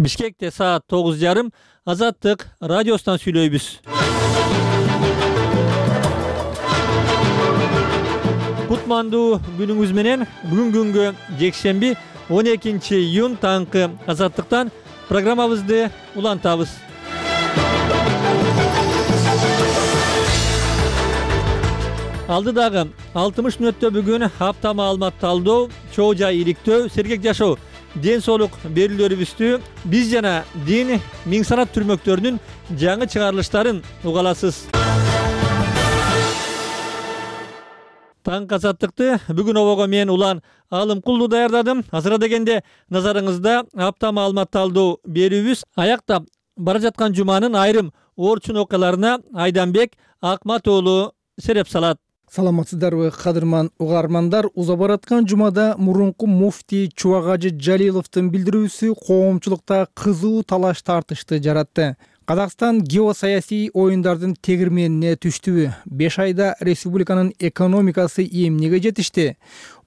Бишкекте саат 9:30 Азаттык радиосунан сүйлөйбүз. Кутмандуу күнүңүз менен бүгүнгү жекшемби 12-июнь таңкы Азаттыктан программабызды улантабыз. Алдыдагы 60 мүнөттө бүгүн апта маалымат талдоо, чоо жай иликтөө, сергек жашоо, ден соолук берүүлөрүбүздү биз жана дин миң санат түрмөктөрүнүн жаңы чыгарылыштарын уга аласыз. Таңкы Азаттыкты бүгүн обого мен Улан Алымкулду даярдадым. Азыра дегенде назарыңызда апта маалымат талдоо берүүбүз аяктап бара жаткан жуманын айрым орчун окуяларына Айданбек Акмат уулу сереп салат. Саламатсыздарбы, кадырман угармандар. Уза бараткан жумада мурунку муфтий Чубагажы Жалиловдун билдирүүсү коомчулукта кызуу талаш тартышты жаратты. Казакстан геосаясий оюндардын тегирменине түштүбү? 5 айда республиканын экономикасы эмнеге жетишти?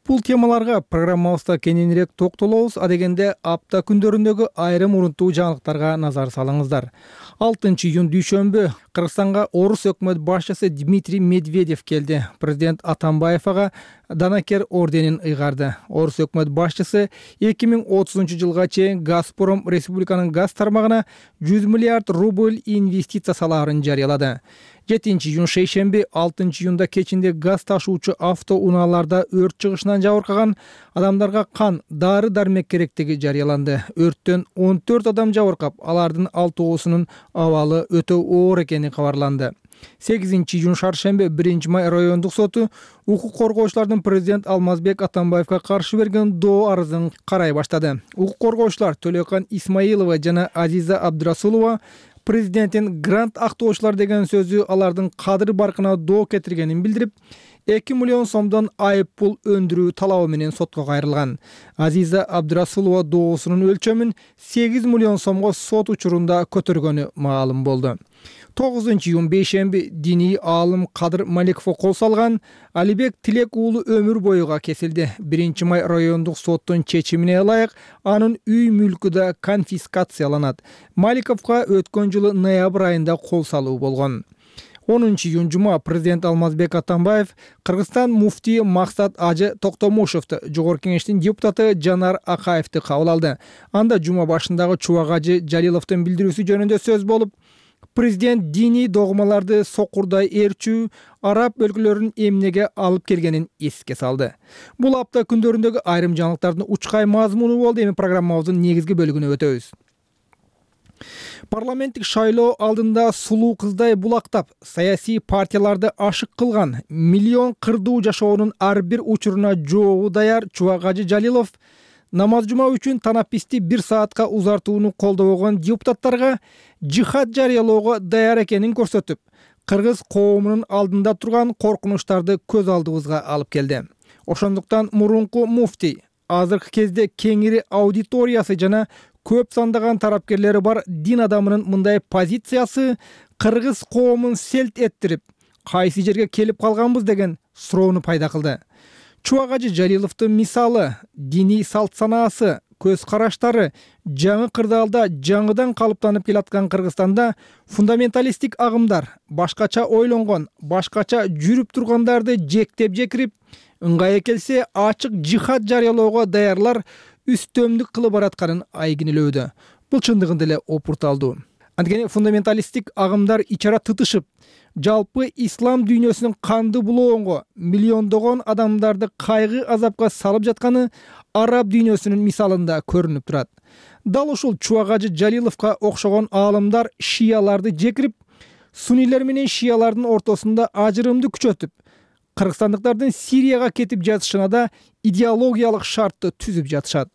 Бул темаларга программабызда кененирээк токтолобуз. Адегенде апта күндөрүндөгү айрым урунттуу жаңылыктарга назар салыңыздар. 6-июнь дүйшөмбү Кыргызстанга орус өкмөт башчысы Дмитрий Медведев келди. Президент Атамбаев ага Данакер орденин ыйгарды. Орус өкмөт башчысы 2030 жылга чейин Газпром республиканын газ тармагына 100 миллиард рубль инвестиция салаарын жарыялады. 7-июнь шейшемби 6-июнда кечинде газ ташуучу автоунааларда өрт чыгышынан жабыркаган адамдарга кан, дары-дармек керектиги жарыяланды. Өрттөн 14 адам жабыркап, алардын 6оосунун абалы өтө оор экени кабарланды. 8-июнь шаршемби 1-май райондук соту укук коргоочулардын президент Алмазбек Атамбаевга каршы берген доо арызын карай баштады. Укук коргоочулар Төлөкан Исмаилова жана Азиза Абдырасулова президенттин грант актоочулар деген сөзү алардын кадыр баркына доо кетиргенин билдирип, 2 миллион сомдон айып пул өндүрүү талабы менен сотко кайрылган. Азиза Абдырасулова доосунун өлчөмүн 8 миллион сомго сот учурунда көтөргөнү маалым болду. 9-июнь бейшемби диний аалым Кадыр Маликовго кол салган Алибек Тилек уулу өмүр боюга кесилди. 1-май райондук соттун чечимине ылайык анын үй мүлкү да конфискацияланат. Маликовго өткөн жылы ноябрь айында кол салуу болгон. 10-июнь жума президент Алмазбек Атамбаев Кыргызстан муфтии Максат Ажы Токтомушевди, жогорку кеңештин депутаты Жанар Акаевди кабыл алды. Анда жума башындагы Чубагажы Жалиловдун билдирүүсү жөнүндө сөз болуп, президент диний догмаларды сокурдай ээрчүү араб өлкөлөрүнүн эмнеге алып келгенин эске салды. Бул апта күндөрүндөгү айрым жаңылыктардын учкай мазмуну болду. Эми программабыздын негизги бөлүгүнө өтөбүз. Парламенттик шайлоо алдында сулуу кыздай булактап, саясий партияларды ашык кылган, миллион кырдуу жашоонун ар бир учуруна жообу даяр Чубагажы Жалилов намаз жума үчүн танаписти 1 саатка узартууну колдобогон депутаттарга жихад жарыялоого даяр экенин көрсөтүп, кыргыз коомунун алдында турган коркунучтарды көз алдыбызга алып келди. Ошондуктан мурунку муфтий азыркы кезде кеңири аудиториясы жана көп сандаган тарапкерлери бар дин адамынын мындай позициясы кыргыз коомун селт эттирип, кайсы жерге келип калганбыз деген суроону пайда кылды. Чубагажы Жалиловдун мисалы, диний салт санаасы, көз караштары жаңы кырдаалда жаңыдан калыптанып келаткан Кыргызстанда фундаменталисттик агымдар башкача ойлонгон, башкача жүрүп тургандарды жектеп жекирип, ыңгайы келсе ачык жихад жарыялоого даярлар үстөмдүк кылып баратканын айгинелөөдө. Бул чындыгында эле опурталдуу. Анткени фундаменталисттик агымдар ичара тытышып, жалпы ислам дүйнөсүнүн канды булоонго миллиондогон адамдарды кайгы азапка салып жатканы араб дүйнөсүнүн мисалында көрүнүп турат. Дал ушул Чубагажы Жалиловго окшогон аалымдар шияларды жекирип, суннийлер менен шиялардын ортосунда ажырымды күчөтүп, кыргызстандыктардын Сирияга кетип жатышына да идеологиялык шартты түзүп жатышат.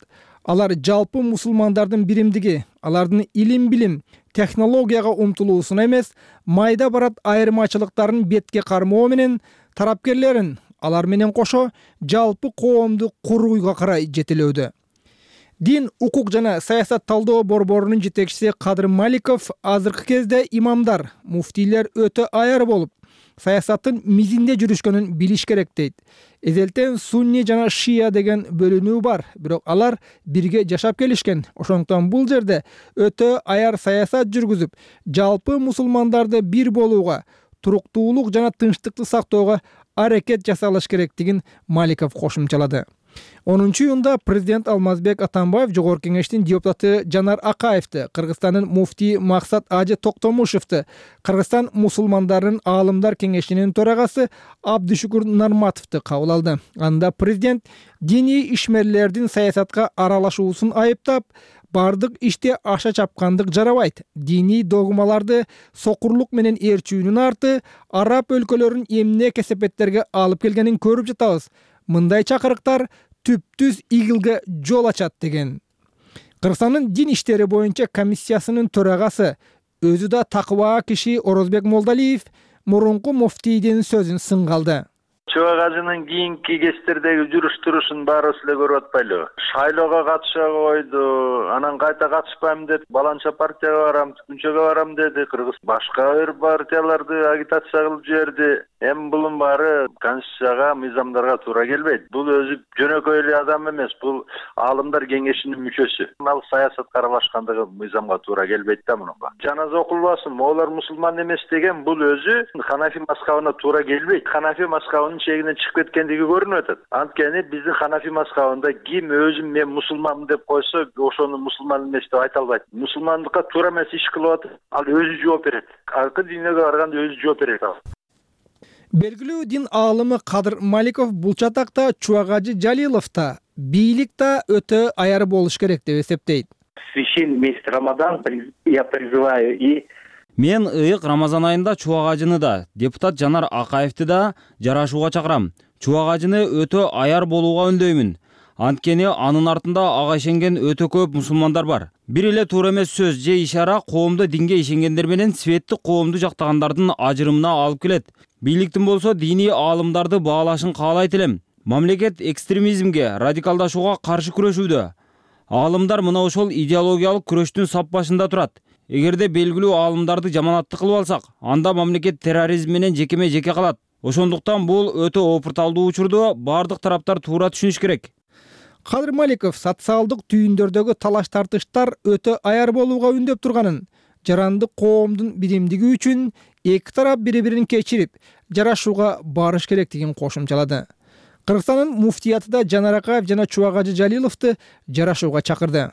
Алар жалпы мусулмандардын биримдиги, алардын илим-билим, технологияга умтулуусуна эмес, майда барат айырмачылыктарын бетке кармоо менен тарапкерлерин алар менен кошо жалпы коомду курууга карай жетелөөдө. Дин, укук жана саясат талдоо борборунун жетекчиси Кадыр Маликов азыркы кезде имамдар, муфтийлер өтө аяр болуп, саясаттын мизинде жүрүшкөнүн билиш керек дейт. Эзелтен сунни жана шия деген бөлүнүү бар, бирок алар бирге жашап келишкен. Ошондуктан бул жерде өтө аяр саясат жүргүзүп, жалпы мусулмандарды бир болууга, туруктуулук жана тынчтыкты сактоого аракет жасалыш керектигин Маликов кошумчалады. 10-июнда президент Алмазбек Атамбаев Жогорку Кеңештин депутаты Жанар Акаевди, Кыргызстандын муфтии Максат Ажы Токтомушевди, Кыргызстан мусулмандарынын аалымдар кеңешинин төрагасы Абдышукур Нарматовду кабыл алды. Анда президент диний ишмерлердин саясатка аралашуусун айыптап, бардык иште аша чапкандык жарабайт. Диний догмаларды сокурлук менен ээрчүүнүн арты араб өлкөлөрүнүн эмне кесепеттерге алып келгенин көрүп жатабыз. Мындай чакырыктар түптүз игилге жол ачат деген. Кыргызстандын дин иштери боюнча комиссиясынын төрагасы, өзү да такыба киши Орозбек Молдалиев мурунку муфтийдин сөзүн сынга алды. Чубак ажынын кийинки кездердеги жүрүш-турушун баарыбыз эле көрүп атпайлыбы? Шайлоого катыша койду, анан кайта катышпайм деп, баланча партияга барам, Күнчөгө барам деди. Кыргыз башка бир партияларды агитация кылып жиберди. Эми булун баары конституцияга, мыйзамдарга туура келбейт. Бул өзү жөнөкөй эле адам эмес, бул аалымдар кеңешинин мүчөсү. Ал саясатка аралашкандыгы мыйзамга туура келбейт да мунуга. Жаназа окулбасын, могулар мусулман эмес деген бул өзү Ханафи мазхабына туура келбейт. Ханафи мазхабынын чегинен чыгып кеткендиги көрүнүп атат. Анткени биздин Ханафи мазхабында ким өзүм мен мусулманмын деп койсо, ошону мусулман эмес деп айта албайт. Мусулмандыкка туура эмес иш кылып атат, ал өзү жооп берет. Аркы динге барганда өзү жооп берет ал. Белгилүү дин аалымы Кадыр Маликов бул чатакта Чубак Ажы Жалилов да, бийлик да өтө аяр болуш керек деп эсептейт. Священный месяц Рамадан я призываю и Мен ыйык Рамазан айында Чубак Ажыны да, депутат Жанар Акаевди да жарашууга чакырам. Чубак Ажыны өтө аяр болууга үндөймүн. Анткени анын артында ага ишенген өтө көп мусулмандар бар. Бир эле туура эмес сөз же ишара коомду динге ишенгендер менен светтик коомду жактагандардын ажырымына алып келет. Бийликтин болсо диний аалымдарды баалашын каалайт элем. Мамлекет экстремизмге, радикалдашууга каршы күрөшүүдө. Аалымдар мына ошол идеологиялык күрөштүн сап башында турат. Эгерде белгилүү аалымдарды жаманатты кылып алсак, анда мамлекет терроризм менен жекеме жеке калат. Ошондуктан бул өтө опурталдуу учурду бардык тараптар туура түшүнүш керек. Кадыр Маликов социалдык түйүндөрдөгү талаш тартыштар өтө аяр болууга үндөп турганын, жарандык коомдун биримдиги үчүн эки тарап бири-бирин кечирип, жарашууга барыш керектигин кошумчалады. Кыргызстандын муфтиятыда Жанар Акаев жана Чубак Ажы Жалиловду жарашууга чакырды.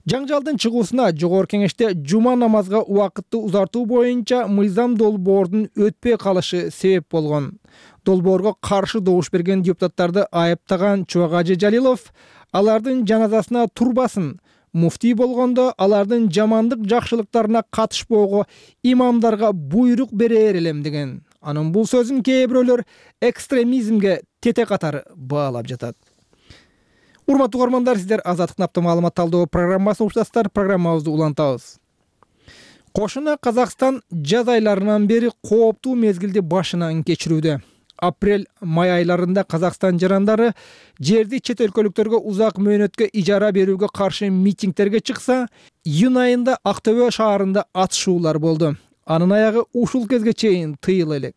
Жаңжалдын чыгуусуна Жогорку Кеңеште жума намазга убакытты узартуу боюнча мыйзам долбоордун өтпөй калышы себеп болгон. Долбоорго каршы добуш берген депутаттарды айыптаган Чубак Ажы Жалилов алардын жаназасына турбасын, муфтий болгондо алардын жамандык жакшылыктарына катышпоого имамдарга буйрук берер элем деген. Анын бул сөзүн кээ бирөөлөр экстремизмге тете катары баалап жатат. Урматтуу угармандар, сиздер Азаттык Напта маалымат талдоо программасын уктасыздар. Программабызды улантабыз. Кошуна Казакстан жаз айларынан бери кооптуу мезгилди башынан кечирүүдө. Апрель-май айларында Казакстан жарандары жерди чет өлкөлүктөргө узак мөөнөткө ижара берүүгө каршы митингтерге чыкса, июнь айында Актөбө шаарында атышуулар болду. Анын аягы ушул кезге чейин тыйыла элек.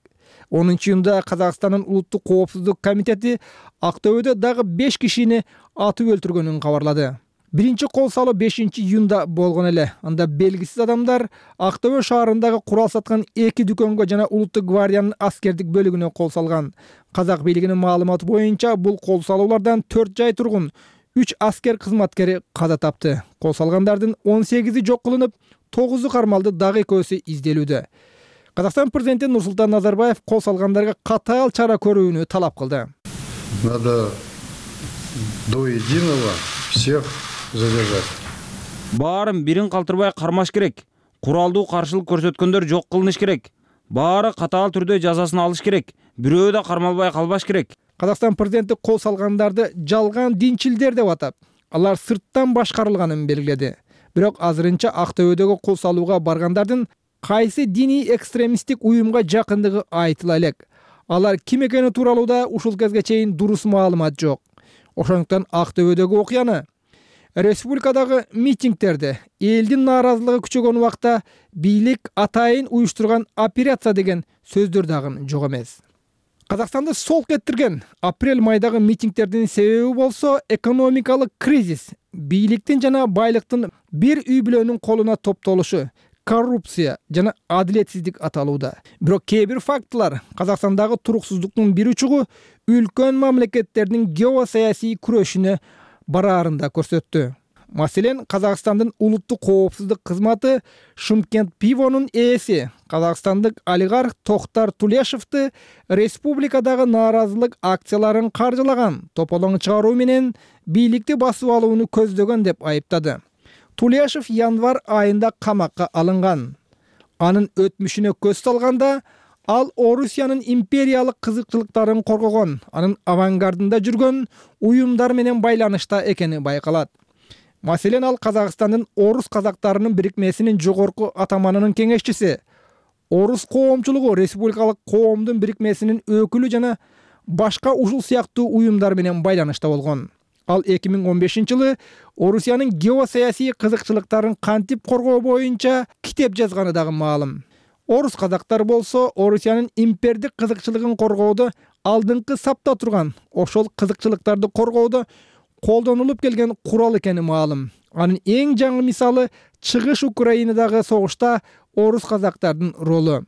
10-июнда Казакстандын улуттук коопсуздук комитети Актөбөдө дагы 5 кишини атып өлтүргөнүн кабарлады. Биринчи кол салуу 5-июнда болгон эле. Анда белгисиз адамдар Актөбө шаарындагы курал саткан 2 дүкөнгө жана Улуттук гвардиянын аскердик бөлүгүнө кол салган. Казак бийлигинин маалыматы боюнча бул кол салуулардан 4 жай тургун, 3 аскер кызматкери каза тапты. Кол салгандардын 18-и жок кылынып, 9-у кармалды, дагы 2-сү изделүүдө. Казакстан президенти Нурсултан Назарбаев кол салгандарга катаал чара көрүүнү талап кылды. Надо до единого всех задержать. Баарын бирин калтырбай кармаш керек. Куралдуу каршылык көрсөткөндөр жок кылыныш керек. Баары катаал түрдө жазасын алыш керек. Бирөө да кармалбай калбаш керек. Казакстан президенти кол салгандарды жалган динчилдер деп атап, алар сырттан башкарылганын белгиледи. Бирок азырынча Актөбөдөгү кол салууга баргандардын кайсы диний экстремисттик уюмга жакындыгы айтыла элек. Алар ким экени тууралуу да ушул кезге чейин дурус маалымат жок. Ошондуктан Актөбөдөгү окуяны Республикадагы митингдерде элдин нааразылыгы күчөгөн убакта бийлик атайын уюштурган операция деген сөздөр дагы жок эмес. Казакстанды солк эттирген апрель-майдагы митингдердин себеби болсо экономикалык кризис, бийликтин жана байлыктын бир үй бүлөнүн колуна топтолушу, коррупция жана адилетсиздик аталууда. Бирок кээ бир фактылар Казакстандагы туруксуздуктун бир учугу үлкөн мамлекеттердин геосаясий күрөшүнө бараарында көрсөттү. Маселен, Казакстандын улуттук коопсуздук кызматы Шымкент пивонун ээси казакстандык олигарх Токтар Тулешевди республикадагы нааразылык акцияларын каржылаган, тополоң чыгаруу менен бийликти басып алууну көздөгөн деп айыптады. Тулешев январь айында камакка алынган. Анын өтмүшүнө көз салганда, ал Орусиянын империялык кызыкчылыктарын коргогон, анын авангардында жүргөн уюмдар менен байланышта экени байкалат. Маселен, ал Казакстандын орус казактарынын бирикмесинин жогорку атаманынын кеңешчиси, орус коомчулугу республикалык коомдун бирикмесинин өкүлү жана башка ушул сыяктуу уюмдар менен байланышта болгон. Ал 2015-жылы Орусиянын геосаясий кызыкчылыктарын кантип коргоо боюнча китеп жазганы дагы маалым. Орус казактар болсо Орусиянын импердик кызыкчылыгын коргоодо алдыңкы сапта турган, ошол кызыкчылыктарды коргоодо колдонулуп келген курал экени маалым. Анын эң жаңы мисалы чыгыш Украинадагы согушта орус казактардын ролу.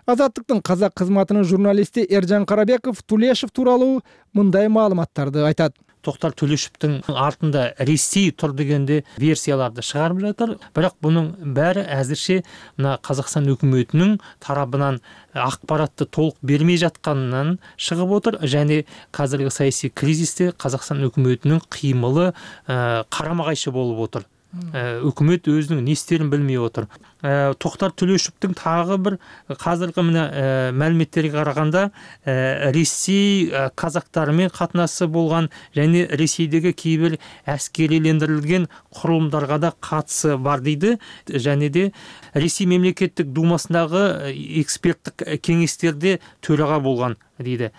Азаттыктын казак кызматынын журналисти Эржан Карабеков Тулешев тууралуу мындай маалыматтарды айтат. Токтар Тулешевдин артында Ресей тур дегенде версияларды чыгарып жатыр. Бирок бунун баары азырча мына Казакстан өкмөтүнүн тарабынан акпаратты толук бермей жатканынан чыгып отур. Және казыркы саясий кризисте Казакстан өкмөтүнүн кыймылы карама кайшы болуп отур. Өкмөт өзүнүн не истерин билмей отур. Токтар Тулешевдин тагы бир казыркы мына маалиметтерге караганда Ресей казактары менен катнашысы болгон және Ресейдеги кээ бир аскерилендирилген курулумдарга да катысы бар дейди. Және де Ресей мемлекеттик думасындагы эксперттик кеңестерде төрага болгон дейди.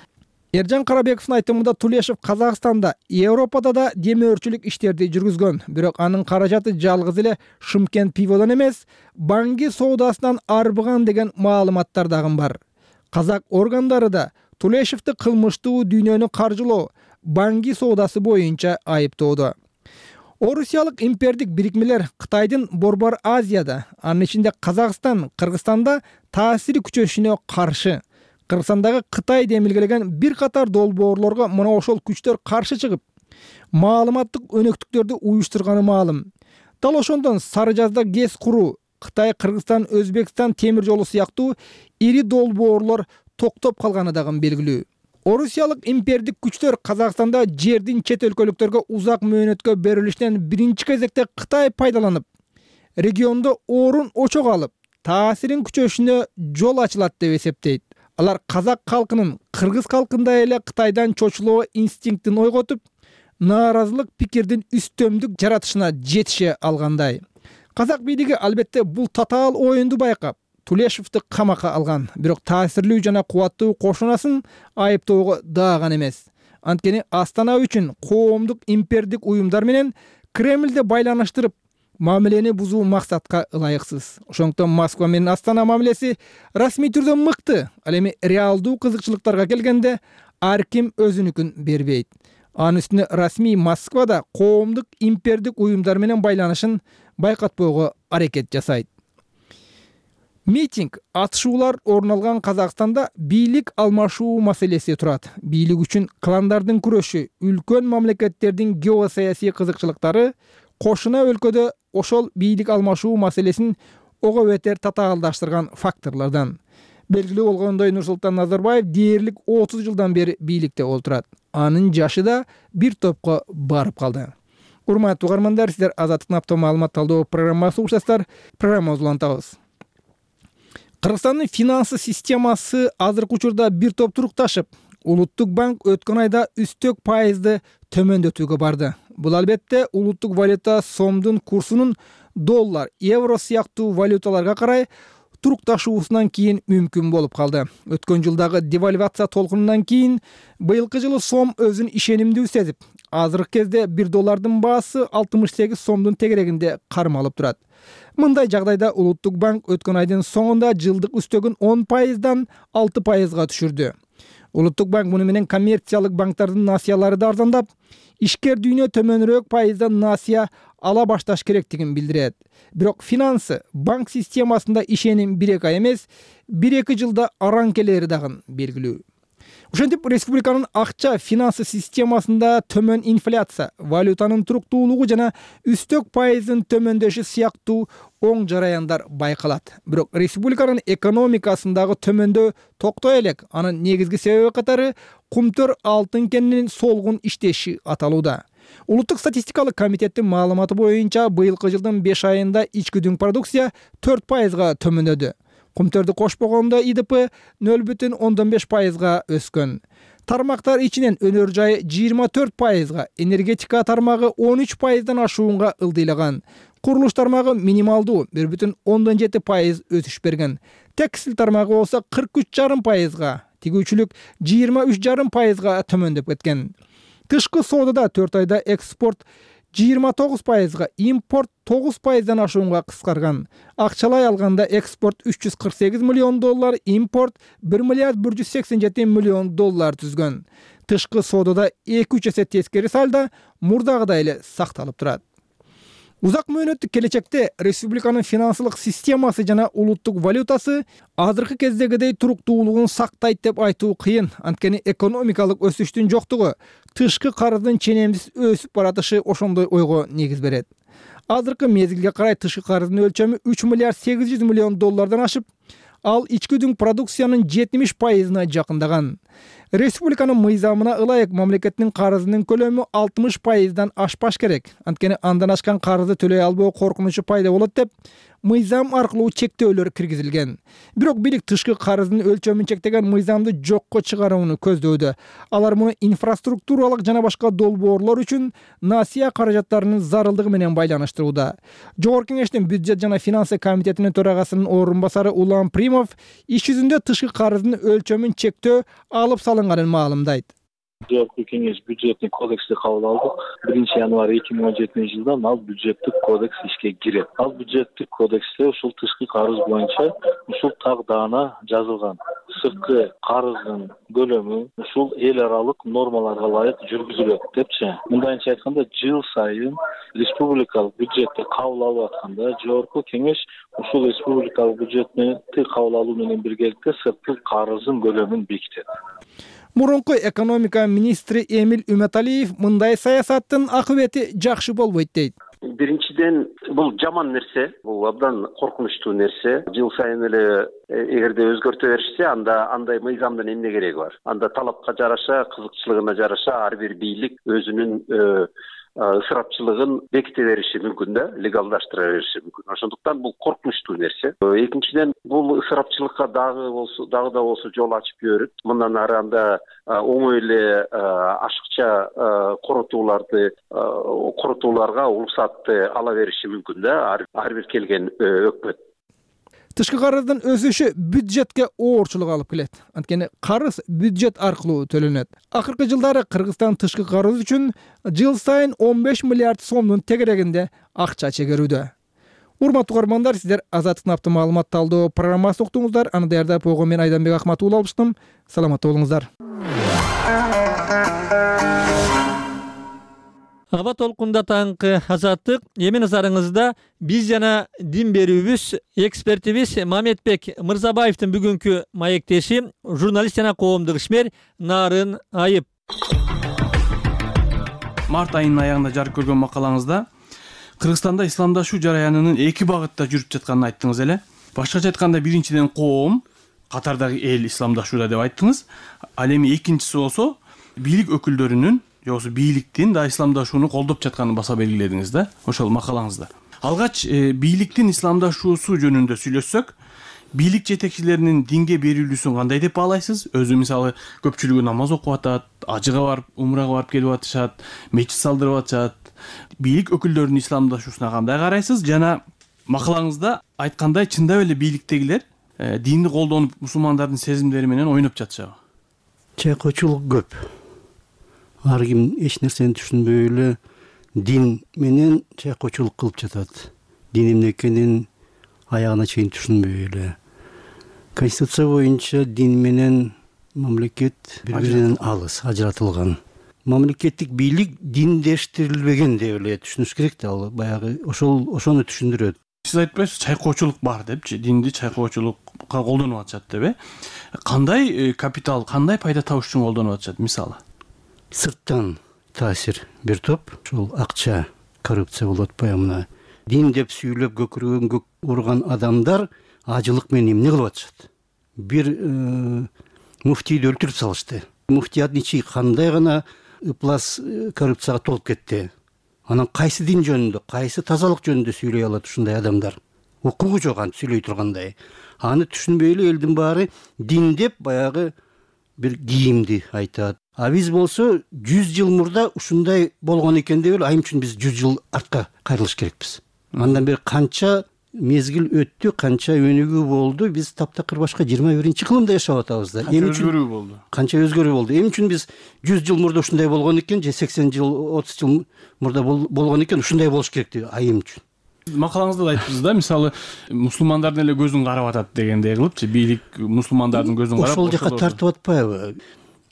Эржан Карабековдун айтымында Тулешев Казакстанда, Европада да демөөрчүлүк иштерди жүргүзгөн. Бирок анын каражаты жалгыз эле Шымкент пиводон эмес, Банги соодасынан арбыган деген маалыматтар дагы бар. Казак органдары да Тулешевди кылмыштуу дүйнөнү каржылоо, Банги соодасы боюнча айыптоодо. Орусиялык импердик бирикмелер Кытайдын Борбор Азияда, анын ичинде Казакстан, Кыргызстанда таасири күчөшүнө каршы. Кыргызстандагы Кытай демилгелеген бир катар долбоорлорго мына ошол күчтөр каршы чыгып, маалыматтык өнөктүктөрдү уюштурганы маалым. Дал ошондон Сары Жазда ГЭС куруу, Кытай, Кыргызстан, Өзбекстан темир жолу сыяктуу ири долбоорлор токтоп калганы дагы белгилүү. Орусиялык импердик күчтөр Казакстанда жердин чет өлкөлүктөргө узак мөөнөткө берилишинен биринчи кезекте Кытай пайдаланып, региондо орун очок алып, таасирин күчөшүнө жол ачылат деп эсептейт. Алар казак калкынын кыргыз калкындай эле Кытайдан чочулоо инстинктин ойготуп, нааразылык пикирдин үстөмдүк жаратышына жетише алгандай. Казак бийлиги албетте бул татаал оюнду байкап, Тулешевди камакка алган, бирок таасирлүү жана кубаттуу кошунасын айыптоого дааган эмес. Анткени Астана үчүн коомдук импердик уюмдар менен Кремлди байланыштырып, мамилени бузуу максатка ылайыксыз. Ошондуктан Москва менен Астана мамилеси расмий түрдө мыкты, ал эми реалдуу кызыкчылыктарга келгенде ар ким өзүнүкүн бербейт. Анын үстүнө расмий Москва да коомдук импердик уюмдар менен байланышын байкатпоого аракет жасайт. Митинг, атышуулар орун алган Казакстанда бийлик алмашуу маселеси турат. Бийлик үчүн кландардын күрөшү, үлкөн мамлекеттердин геосаясий кызыкчылыктары кошуна өлкөдө ошол бийлик алмашуу маселесин ого бетер татаалдаштырган факторлордон. Белгилүү болгондой, Нурсултан Назарбаев дээрлик 30 жылдан бери бийликте отурат. Анын жашы да бир топко барып калды. Урматтуу угармандар, сиздер Азаттыктын апта маалымат талдоо программасы угушасыздар. Программабызды улантабыз. Кыргызстандын финансы системасы азыркы учурда бир топ турукташып, Улуттук банк өткөн айда үстөк пайызды төмөндөтүүгө барды. Бул албетте улуттук валюта сомдун курсунун доллар, евро сыяктуу валюталарга карай турукташуусунан кийин мүмкүн болуп калды. Өткөн жылдагы девальвация толкунунан кийин быйылкы жылы сом өзүн ишенимдүү сезип, азыркы кезде $1 баасы 68 сомдун тегерегинде кармалып турат. Мындай жагдайда Улуттук банк өткөн айдын соңунда жылдык үстөгүн 10%дан 6%га түшүрдү. Улуттук банк муну менен коммерциялык банктардын насыялары да арзандап, ишкер дүйнө төмөнүрөөк пайыздан насыя ала башташ керектигин билдирет. Бирок финансы, банк системасында ишеним 1-2 ай эмес, 1-2 жылда араң келери дагы белгилүү. Ошентип, республиканын акча финансы системасында төмөн инфляция, валютанын туруктуулугу жана үстөк пайыздын төмөндөшү сыяктуу оң жараяндар байкалат. Бирок республиканын экономикасындагы төмөндөө токтой элек. Анын негизги себеби катары кумтөр алтын кенинин солгун иштеши аталууда. Улуттук статистикалык комитеттин маалыматы боюнча быйылкы жылдын 5 айында ички дүң продукция 4%га төмөндөдү. Кумтөрдү кошпогондо ИДП 0,5%га өскөн. Тармактар ичинен өнөр жайы 24%га, энергетика тармагы 13%дан ашуунга ылдыйлаган. Курулуш тармагы минималдуу 1,7% өсүш берген. Текстил тармагы болсо 43,5%га, тигүүчүлүк 23,5%га төмөндөп кеткен. Тышкы соодада 4 айда экспорт 29%га, импорт 9%дан ашуунга кыскарган. Акчалай алганда экспорт $348 миллион, импорт $1,187 миллион түзгөн. Тышкы соодада 2-3 эсе тескери салда мурдагыдай эле сакталып турат. Узак мөөнөттүк келечекте республиканын финансылык системасы жана улуттук валютасы азыркы кездегидей туруктуулугун сактайт деп айтуу кыйын. Анткени экономикалык өсүштүн жоктугу, тышкы карыздын ченемсиз өсүп баратышы ошондой ойго негиз берет. Азыркы мезгилге карай тышкы карыздын өлчөмү $3,8 миллион ашып, ал ички дүң продукциянын 70%-на жакындаган. Республиканын мыйзамына ылайык мамлекеттин карызынын көлөмү 60%дан ашпаш керек. Анткени андан ашкан карызды төлөй албоо коркунучу пайда болот деп мыйзам аркылуу чектөөлөр киргизилген. Бирок бийлик тышкы карыздын өлчөмүн чектеген мыйзамды жокко чыгарууну көздөөдө. Алар муну инфраструктуралык жана башка долбоорлор үчүн насыя каражаттарынын зарылдыгы менен байланыштырууда. Жогорку Кеңештин бюджет жана финансы комитетинин төрагасынын орун басары Улан Примов иш жүзүндө тышкы карыздын өлчөмүн чектөө алып салынганын маалымдайт. Жогорку Кеңеш бюджеттик кодексти кабыл алдык. 1-январь 2017-жылдан ал бюджеттик кодекс ишке кирет. Ал бюджеттик кодексте ушул тышкы карыз боюнча ушул тагдана жазылган. Сырткы карыздын көлөмү ушул эл аралык нормаларга ылайык жүргүзүлөт депчи. Мындайча айтканда, жыл сайын республикалык бюджетти кабыл алып атканда Жогорку Кеңеш ушул республикалык бюджетти кабыл алуу менен биргеликте сырткы карыздын көлөмүн бекитет. Мурунку экономика министри Эмил Үмөталиев мындай саясаттын акыбети жакшы болбойт дейт. Биринчиден, бул жаман нерсе, бул абдан коркунучтуу нерсе. Жыл сайын эле эгерде өзгөртө беришсе, анда андай мыйзамдын эмне кереги бар? Анда талапка жараша, кызыкчылыгына жараша ар бир бийлик өзүнүн ысырапчылыгын беките бериши мүмкүн да, легалдаштыра бериши мүмкүн. Ошондуктан бул коркунучтуу нерсе. Экинчиден, бул ысырапчылыкка дагы да болсо жол ачып жиберет. Мындан ары анда оңой эле ашыкча коротууларга уруксатты ала бериши мүмкүн да, ар бир келген өкмөт. Тышкы карыздын өсүшү бюджетке оорчулук алып келет. Анткени карыз бюджет аркылуу төлөнөт. Акыркы жылдары Кыргызстан тышкы карыз үчүн жыл сайын 15 миллиард сомдун тегерегинде акча чегерүүдө. Урматтуу угармандар, сиздер Азаттыктын апта маалымат талдоо программасын уктуңуздар. Аны даярдап койгон мен Айданбек Ахматуулла алыштым. Саламатта болуңуздар. Аба толкунда таңкы Азаттык, эми назарыңызда биз жана дин берүүбүз экспертибиз Мамедбек Мырзабаевдин бүгүнкү маектеши, журналист жана коомдук ишмер Нарын Айып. Март айынын аягында жарык көргөн макалаңызда Кыргызстанда исламдашуу жараянынын эки багытта жүрүп жатканын айттыңыз эле. Башкача айтканда, биринчиден коом, катардагы эл исламдашууда деп айттыңыз. Ал эми экинчиси болсо бийлик өкүлдөрүнүн жоксу бийликтин да исламдашууну колдоп жатканын баса белгиледиңиз да ошол макалаңызда. Алгач бийликтин исламдашуусу жөнүндө сүйлөшсөк, бийлик жетекчилеринин динге берилүүсүн кандай деп баалайсыз? Өзү мисалы көпчүлүгү намаз окуп атат, ажыга барып, умрага барып келип атышат, мечит салдырып атышат. Бийлик өкүлдөрүнүн исламдашуусуна кандай карайсыз? Жана макалаңызда айткандай, чындап эле бийликтегилер динди колдонуп мусулмандардын сезимдери менен ойноп жатышабы? Чайкоочулук көп. ар ким эч нерсени түшүнбөй эле дин менен чайкоочулук кылып жатат. Дин эмне экенин аягына чейин түшүнбөй эле. Конституция боюнча дин менен мамлекет бири-биринен алыс, ажыратылган. Мамлекеттик бийлик диндештирилбеген деп эле түшүнүш керек да, ал баягы ошону түшүндүрөт. Сиз айтпайсыз чайкоочулук бар депчи, динди чайкоочулукка колдонуп атышат деп, кандай капитал, кандай пайда табыш үчүн колдонуп атышат мисалы? Сырттан таасир бир топ, ушул акча, коррупция болуп атпайбы мына. Дин деп сүйлөп көкүрөгөн көк урган адамдар ажылык менен эмне кылып атышат? Бир муфтийди өлтүрүп салышты. Муфтият ичи кандай гана ыплас коррупцияга толуп кетти. Анан кайсы дин жөнүндө, кайсы тазалык жөнүндө сүйлөй алат ушундай адамдар? Укугу жок аны сүйлөй тургандай. Аны түшүнбөй эле элдин баары дин деп баягы бир кийимди айтат. А биз болсо 100 жыл мурда ушундай болгон экен деп эле айым үчүн биз 100 жыл артка кайрылыш керекпиз. Андан бери канча мезгил өттү, канча өнүгүү болду, биз таптакыр башка 21-кылымда жашап атабыз да. Канча өзгөрүү болду. Канча өзгөрүү болду. Эмне үчүн биз 100 жыл мурда ушундай болгон экен, же 80 жыл, 30 жыл мурда болгон экен, ушундай болуш керек деп айым үчүн. Макалаңызда да айттыңыз да, мисалы мусулмандардын эле көзүн карап атат дегендей кылыпчы, бийлик мусулмандардын көзүн карап ошол жака тартып атпайбы?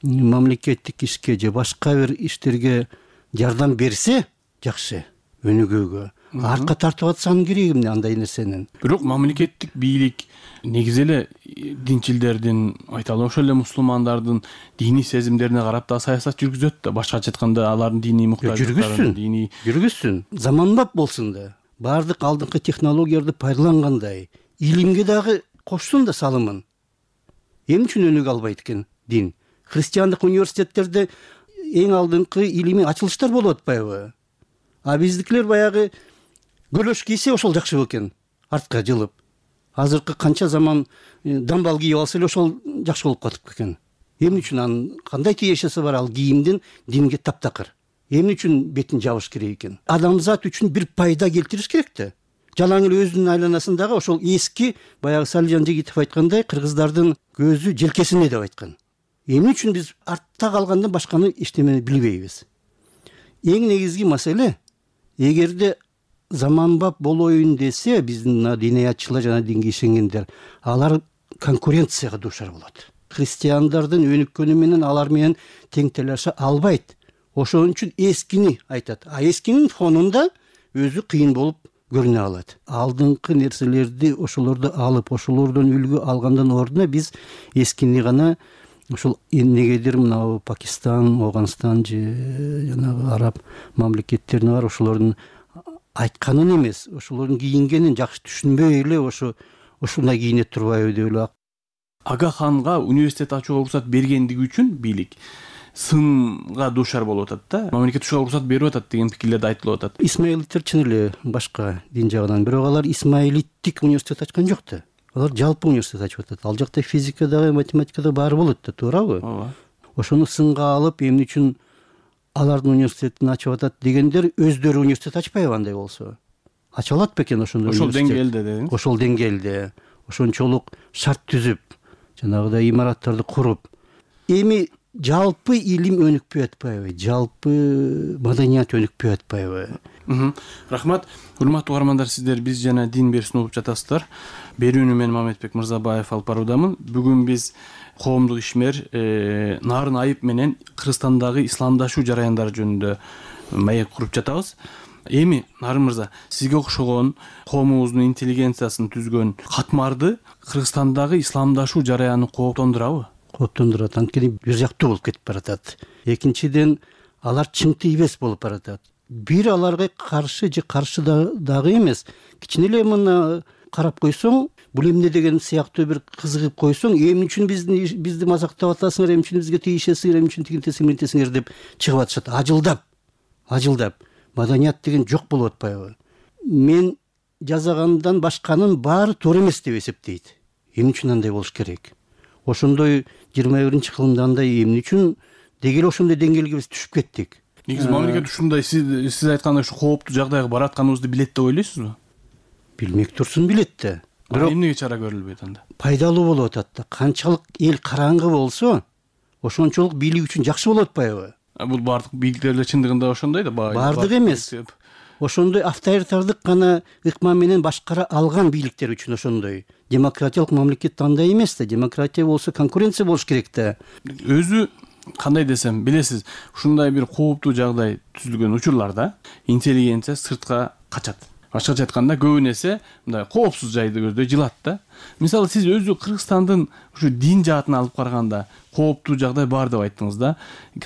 Мамлекеттик ишке же башка бир иштерге жардам берсе жакшы, өнүгүүгө. Артка тартып атсанын кереги эмне андай нерсенин? Бирок мамлекеттик бийлик негизи эле динчилдердин, айталы ошол эле мусулмандардын диний сезимдерине карап да саясат жүргүзөт да. Башкача айтканда алардын диний муктаждыктарын жүргүзсүн. Заманбап болсун да. Бардык алдыңкы технологияларды пайдалангандай, илимге дагы кошсун да салымын. Эмне үчүн өнүгө албайт экен дин? Христиандык университеттерде эң алдыңкы илимий ачылыштар болуп атпайбы? А биздикилер баягы көлөш кийсе ошол жакшы экен, артка жылып. Азыркы канча заман дамбал кийип алса эле ошол жакшы болуп катып экен. Эмне үчүн анын кандай тиешеси бар ал кийимдин динге таптакыр? Эмне үчүн бетин жабыш керек экен? Адамзат үчүн бир пайда келтириш керек да. Жалаң эле өзүнүн айланасындагы ошол эски баягы Салижан Жигитов айткандай кыргыздардын көзү желкесине деп айткан. Эмне үчүн биз артта калгандан башканы эчтемени билбейбиз? Эң негизги маселе, эгерде заманбап болоюн десе, биздин диниятчылар жана динге ишенгендер, алар конкуренцияга дуушар болот. Христиандардын өнүккөнү менен алар менен тең талаша албайт. Ошон үчүн эскини айтат. А эскинин фонунда өзү кыйын болуп көрүнө алат. Алдыңкы нерселерди ошолорду алып, ошолордон үлгү алгандан ордуна биз эскини гана ошол эмнегедир мына Пакистан, Афганистан же жанагы араб мамлекеттерине бар ошолордун айтканын эмес, ошолордун кийингенин жакшы түшүнбөй эле ушундай кийине турбайбы деп эле. Ага ханга университет ачууга уруксат бергендиги үчүн бийлик сынга дуушар болуп атат да. Мамлекет ушуга уруксат берип атат деген пикирлер да айтылып атат. Исмаилиттер чын эле башка дин жагынан, бирок алар исмаилиттик университет ачкан жок да. Алар жалпы университет ачып атат. Ал жакта физика дагы, математика дагы баары болот да, туурабы? Ооба. Ошону сынга алып, эмне үчүн алардын университетин ачып атат дегендер өздөрү университет ачпайбы андай болсо? Ача алат бекен ошондой университет? Ошол деңгээлде дедиңиз? Ошол деңгээлде, ошончолук шарт түзүп, жанагыдай имараттарды куруп. Эми жалпы илим өнүкпөй атпайбы? Жалпы маданият өнүкпөй атпайбы? Рахмат. Урматтуу угармандар, сиздер биз жана дин берүүсүн угуп жатасыздар. Берүүнү мен Мамедбек Мырзабаев алып баруудамын. Бүгүн биз коомдук ишмер Нарын Айып менен Кыргызстандагы исламдашуу жараяндары жөнүндө маек куруп жатабыз. Эми Нарын мырза, сизге окшогон коомубуздун интеллигенциясын түзгөн катмарды Кыргызстандагы исламдашуу жараяны кооптондурабы? Кооптондурат. Анткени бир жактуу болуп кетип баратат. Экинчиден, алар чыңтый эмес болуп баратат. Бир аларга каршы же каршы дагы эмес. Кичине эле мына карап койсоң, бул эмне деген сыяктуу бир кызыгып койсоң, эмне үчүн бизди мазактап атасыңар, эмне үчүн бизге тийишесиңер, эмне үчүн тигинтесиңер деп чыгып атышат. Ажылдап. Маданият деген жок болуп атпайбы? Мен жазагандан башканын баары туура эмес деп эсептейт. Эмне үчүн андай болуш керек? Ошондой 21-кылымда андай эмне үчүн деги эле ошондой деңгээлге биз түшүп кеттик? Негизи мамлекет ушундай сиз айткандай ушу кооптуу жагдайга баратканыбызды билет деп ойлойсузбу? Билмек турсун, билет да. Бирок эмнеге чара көрүлбөйт анда? Пайдалуу болуп атат да. Канчалык эл караңгы болсо, ошончолук бийлик үчүн жакшы болуп атпайбы? Бул баардык бийликтер эле чындыгында ошондой да баардык эмес. Ошондой авторитардык гана ыкма менен башкара алган бийликтер үчүн ошондой. Демократиялык мамлекет андай эмес да. Демократия болсо конкуренция болуш керек да. Өзү кандай десем, билесиз, ушундай бир кооптуу жагдай түзүлгөн учурларда интеллигенция сыртка качат. Башкача айтканда көбүн эсе мындай коопсуз жайды көздөй жылат да. Мисалы сиз өзү Кыргызстандын ушу дин жаатын алып караганда кооптуу жагдай бар деп айттыңыз да.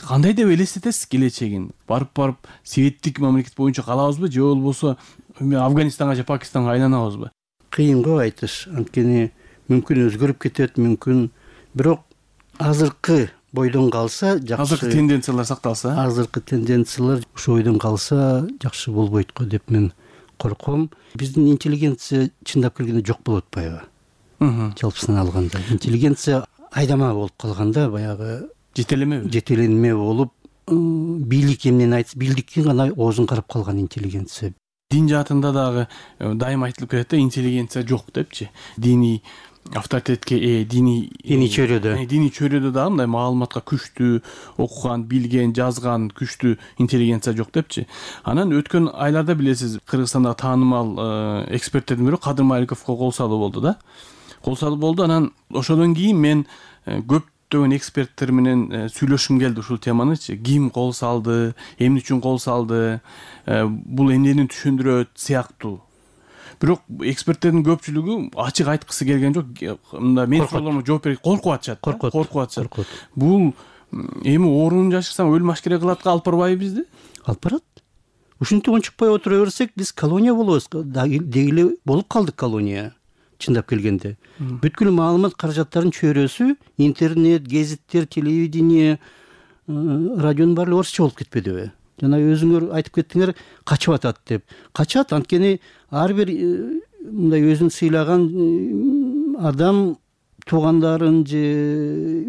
Кандай деп элестетесиз келечегин? Барып светтик мамлекет боюнча калабызбы же болбосо Афганистанга же Пакистанга айланабызбы? Кыйын го айтыш. Анткени мүмкүн өзгөрүп кетет, мүмкүн. Бирок азыркы бойдон калса жакшы. Азыркы тенденциялар сакталса? Азыркы тенденциялар ошо бойдон калса жакшы болбойт го деп мен корком. Биздин интеллигенция чындап келгенде жок болуп атпайбы? Жалпысынан алганда интеллигенция айдама болуп калганда, баягы жетеленме болуп, бийлик эмнени айтса, бийликтин гана оозун карап калган интеллигенция. Дин жаатында дагы дайыма айтылып келет да, интеллигенция жок депчи. Диний авторитетке диний чөйрөдө дагы мындай маалыматка күчтүү, окуган, билген, жазган күчтүү интеллигенция жок депчи. Анан өткөн айларда билесиз, Кыргызстандагы таанымал эксперттердин бири Кадыр Маликовго кол салуу болду да. Кол салуу болду. Анан ошодон кийин мен көптөгөн эксперттер менен сүйлөшүм келди ушул теманычы. Ким кол салды, эмне үчүн кол салды, бул эмнени түшүндүрөт сыяктуу. Бирок эксперттердин көпчүлүгү ачык айткысы келген жок. Мында мен суроолорума жооп берет, коркуп атышат. Бул эми оорун жашырсаң өлүм ашкере кылатка алып барбайбы бизди? Алып барат. Ушинтип ончукпай отура берсек, биз колония болобуз. Деги эле болуп калдык колония. Чындап келгенде бүткүл маалымат каражаттарынын чөйрөсү интернет, гезиттер, телевидение, радионун баары орусча болуп кетпедиби? Жана өзүңөр айтып кеттиңер, качып атат деп. Качат, анткени ар бир мындай өзүн сыйлаган адам туугандарын же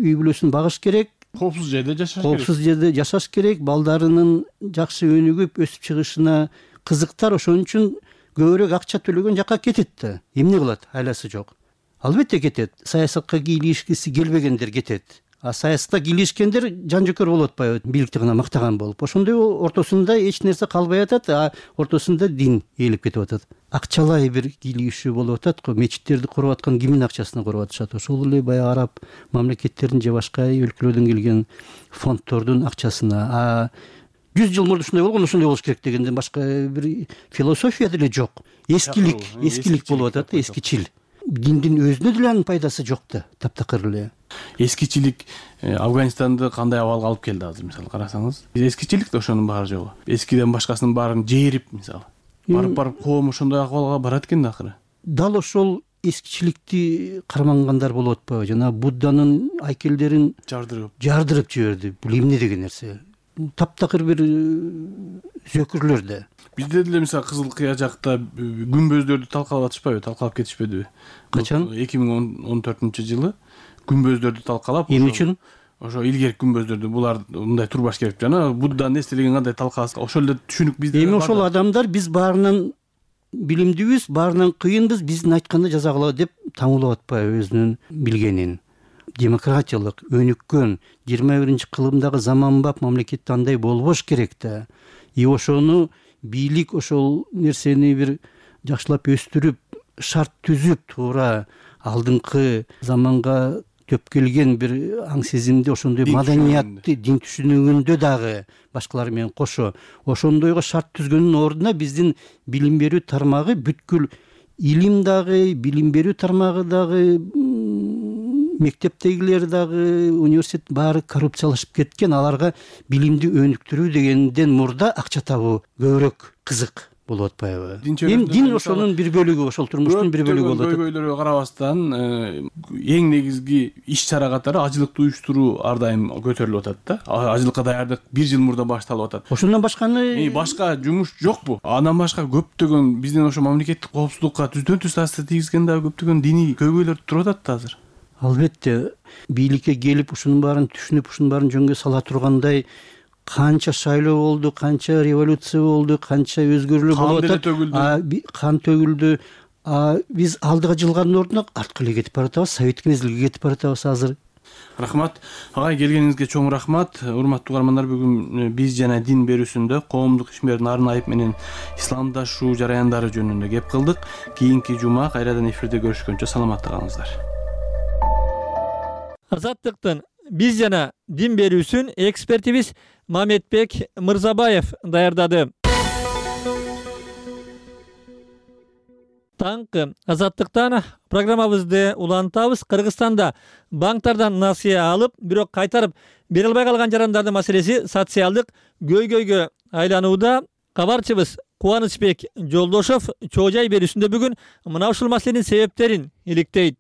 үй бүлөсүн багыш керек, коопсуз жерде жашаш керек. Коопсуз жерде жашаш керек, балдарынын жакшы өнүгүп өсүп чыгышына кызыктар, ошон үчүн көбүрөөк акча төлөгөн жакка кетет да. Эмне кылат? Айласы жок. Албетте кетет. Саясатка кийлигишкиси келбегендер кетет. А саясатка кийлигишкендер жан жөкөр болуп атпайбы? Бийликти гана мактаган болуп. Ошондой ортосунда эч нерсе калбай атат, а ортосунда дин ээлеп кетип атат. Акчалай бир кийлигишүү болуп атат го. Мечиттерди куруп аткан кимдин акчасына куруп атышат? Ошол эле баягы араб мамлекеттердин же башка өлкөлөрдөн келген фонддордун акчасына. 100 жыл мурда ушундай болгон, ошондой болуш керек дегенден башка бир философия деле жок. Эскилик болуп атат, эскичил. Диндин өзүнө деле анын пайдасы жок да, таптакыр эле. Эскичилик Афганистанды кандай абалга алып келди азыр, мисалы карасаңыз? Эскичилик да ошонун баары жогу. Эскиден башкасынын баарын жээрип, мисалы. Барып коом ошондой акыбалга барат экен да акыры. Дал ошол эскичиликти кармангандар болуп атпайбы? Жана Будданын айкелдерин жардырып жиберди. Бул эмне деген нерсе? Таптакыр бир зөкүрлөр да. Бизде деле мисалы Кызыл Кыя жакта күмбөздөрдү талкалап атышпайбы, талкалап кетишпедиби? Качан? 2014-жылы күмбөздөрдү талкалап. Эмне үчүн? Ошо илгерки күмбөздөрдү булар мындай турбаш керек жана Будданын эстелигин кандай талкаласа, ошол эле түшүнүк бизде. Эми ошол адамдар биз баарынан билимдүүбүз, баарынан кыйынбыз, биздин айтканда жаза кылабы деп таңуулап атпайбы өзүнүн билгенин? Демократиялык, өнүккөн 21-кылымдагы заманбап мамлекетте андай болбош керек да. Ошону бийлик ошол нерсени бир жакшылап өстүрүп, шарт түзүп, туура алдыңкы заманга төп келген бир аң сезимди, ошондой маданиятты, дин түшүнүгүндө дагы башкалар менен кошо ошондойго шарт түзгөндүн ордуна биздин билим берүү тармагы бүткүл илим дагы, билим берүү тармагы дагы, мектептегилер дагы, университет баары коррупциялашып кеткен. Аларга билимди өнүктүрүү дегенден мурда акча табуу көбүрөөк кызык болуп атпайбы? Эми дин ошонун бир бөлүгү, ошол турмуштун бир бөлүгү болуп атат. Көйгөйлөргө карабастан эң негизги иш-чара катары ажылыкты уюштуруу ар дайым көтөрүлүп атат да. Ажылыкка даярдык 1 жыл мурда башталып атат. Ошондон башканы башка жумуш жокпу? Андан башка көптөгөн биздин ошо мамлекеттик коопсуздукка түздөн-түз таасир тийгизген дагы көптөгөн диний көйгөйлөр туруп атат да азыр. Албетте, бийликке келип ушунун баарын түшүнүп, ушунун баарын жөнгө сала тургандай канча шайлоо болду, канча революция болду, канча өзгөрүүлөр болуп атат. Кан төгүлдү. Биз алдыга жылгандын ордуна артка эле кетип баратабыз, советтик мезгилге кетип баратабыз азыр. Рахмат. Агай, келгениңизге чоң рахмат. Урматтуу угармандар, бүгүн биз жана дин берүүсүндө коомдук ишмер Нарын Айып менен исламдашуу жараяндары жөнүндө кеп кылдык. Кийинки жума кайрадан эфирде көрүшкөнчө саламатта калыңыздар. Азаттыктын биз жана дин берүүсүн экспертибиз Мамедбек Мырзабаев даярдады. Таңкы Азаттыктан программабызды улантабыз. Кыргызстанда банктардан насыя алып, бирок кайтарып бере албай калган жарандардын маселеси социалдык көйгөйгө айланууда. Кабарчыбыз Кубанычбек Жолдошов чоо жай берүүсүндө бүгүн мына ушул маселенин себептерин иликтейт.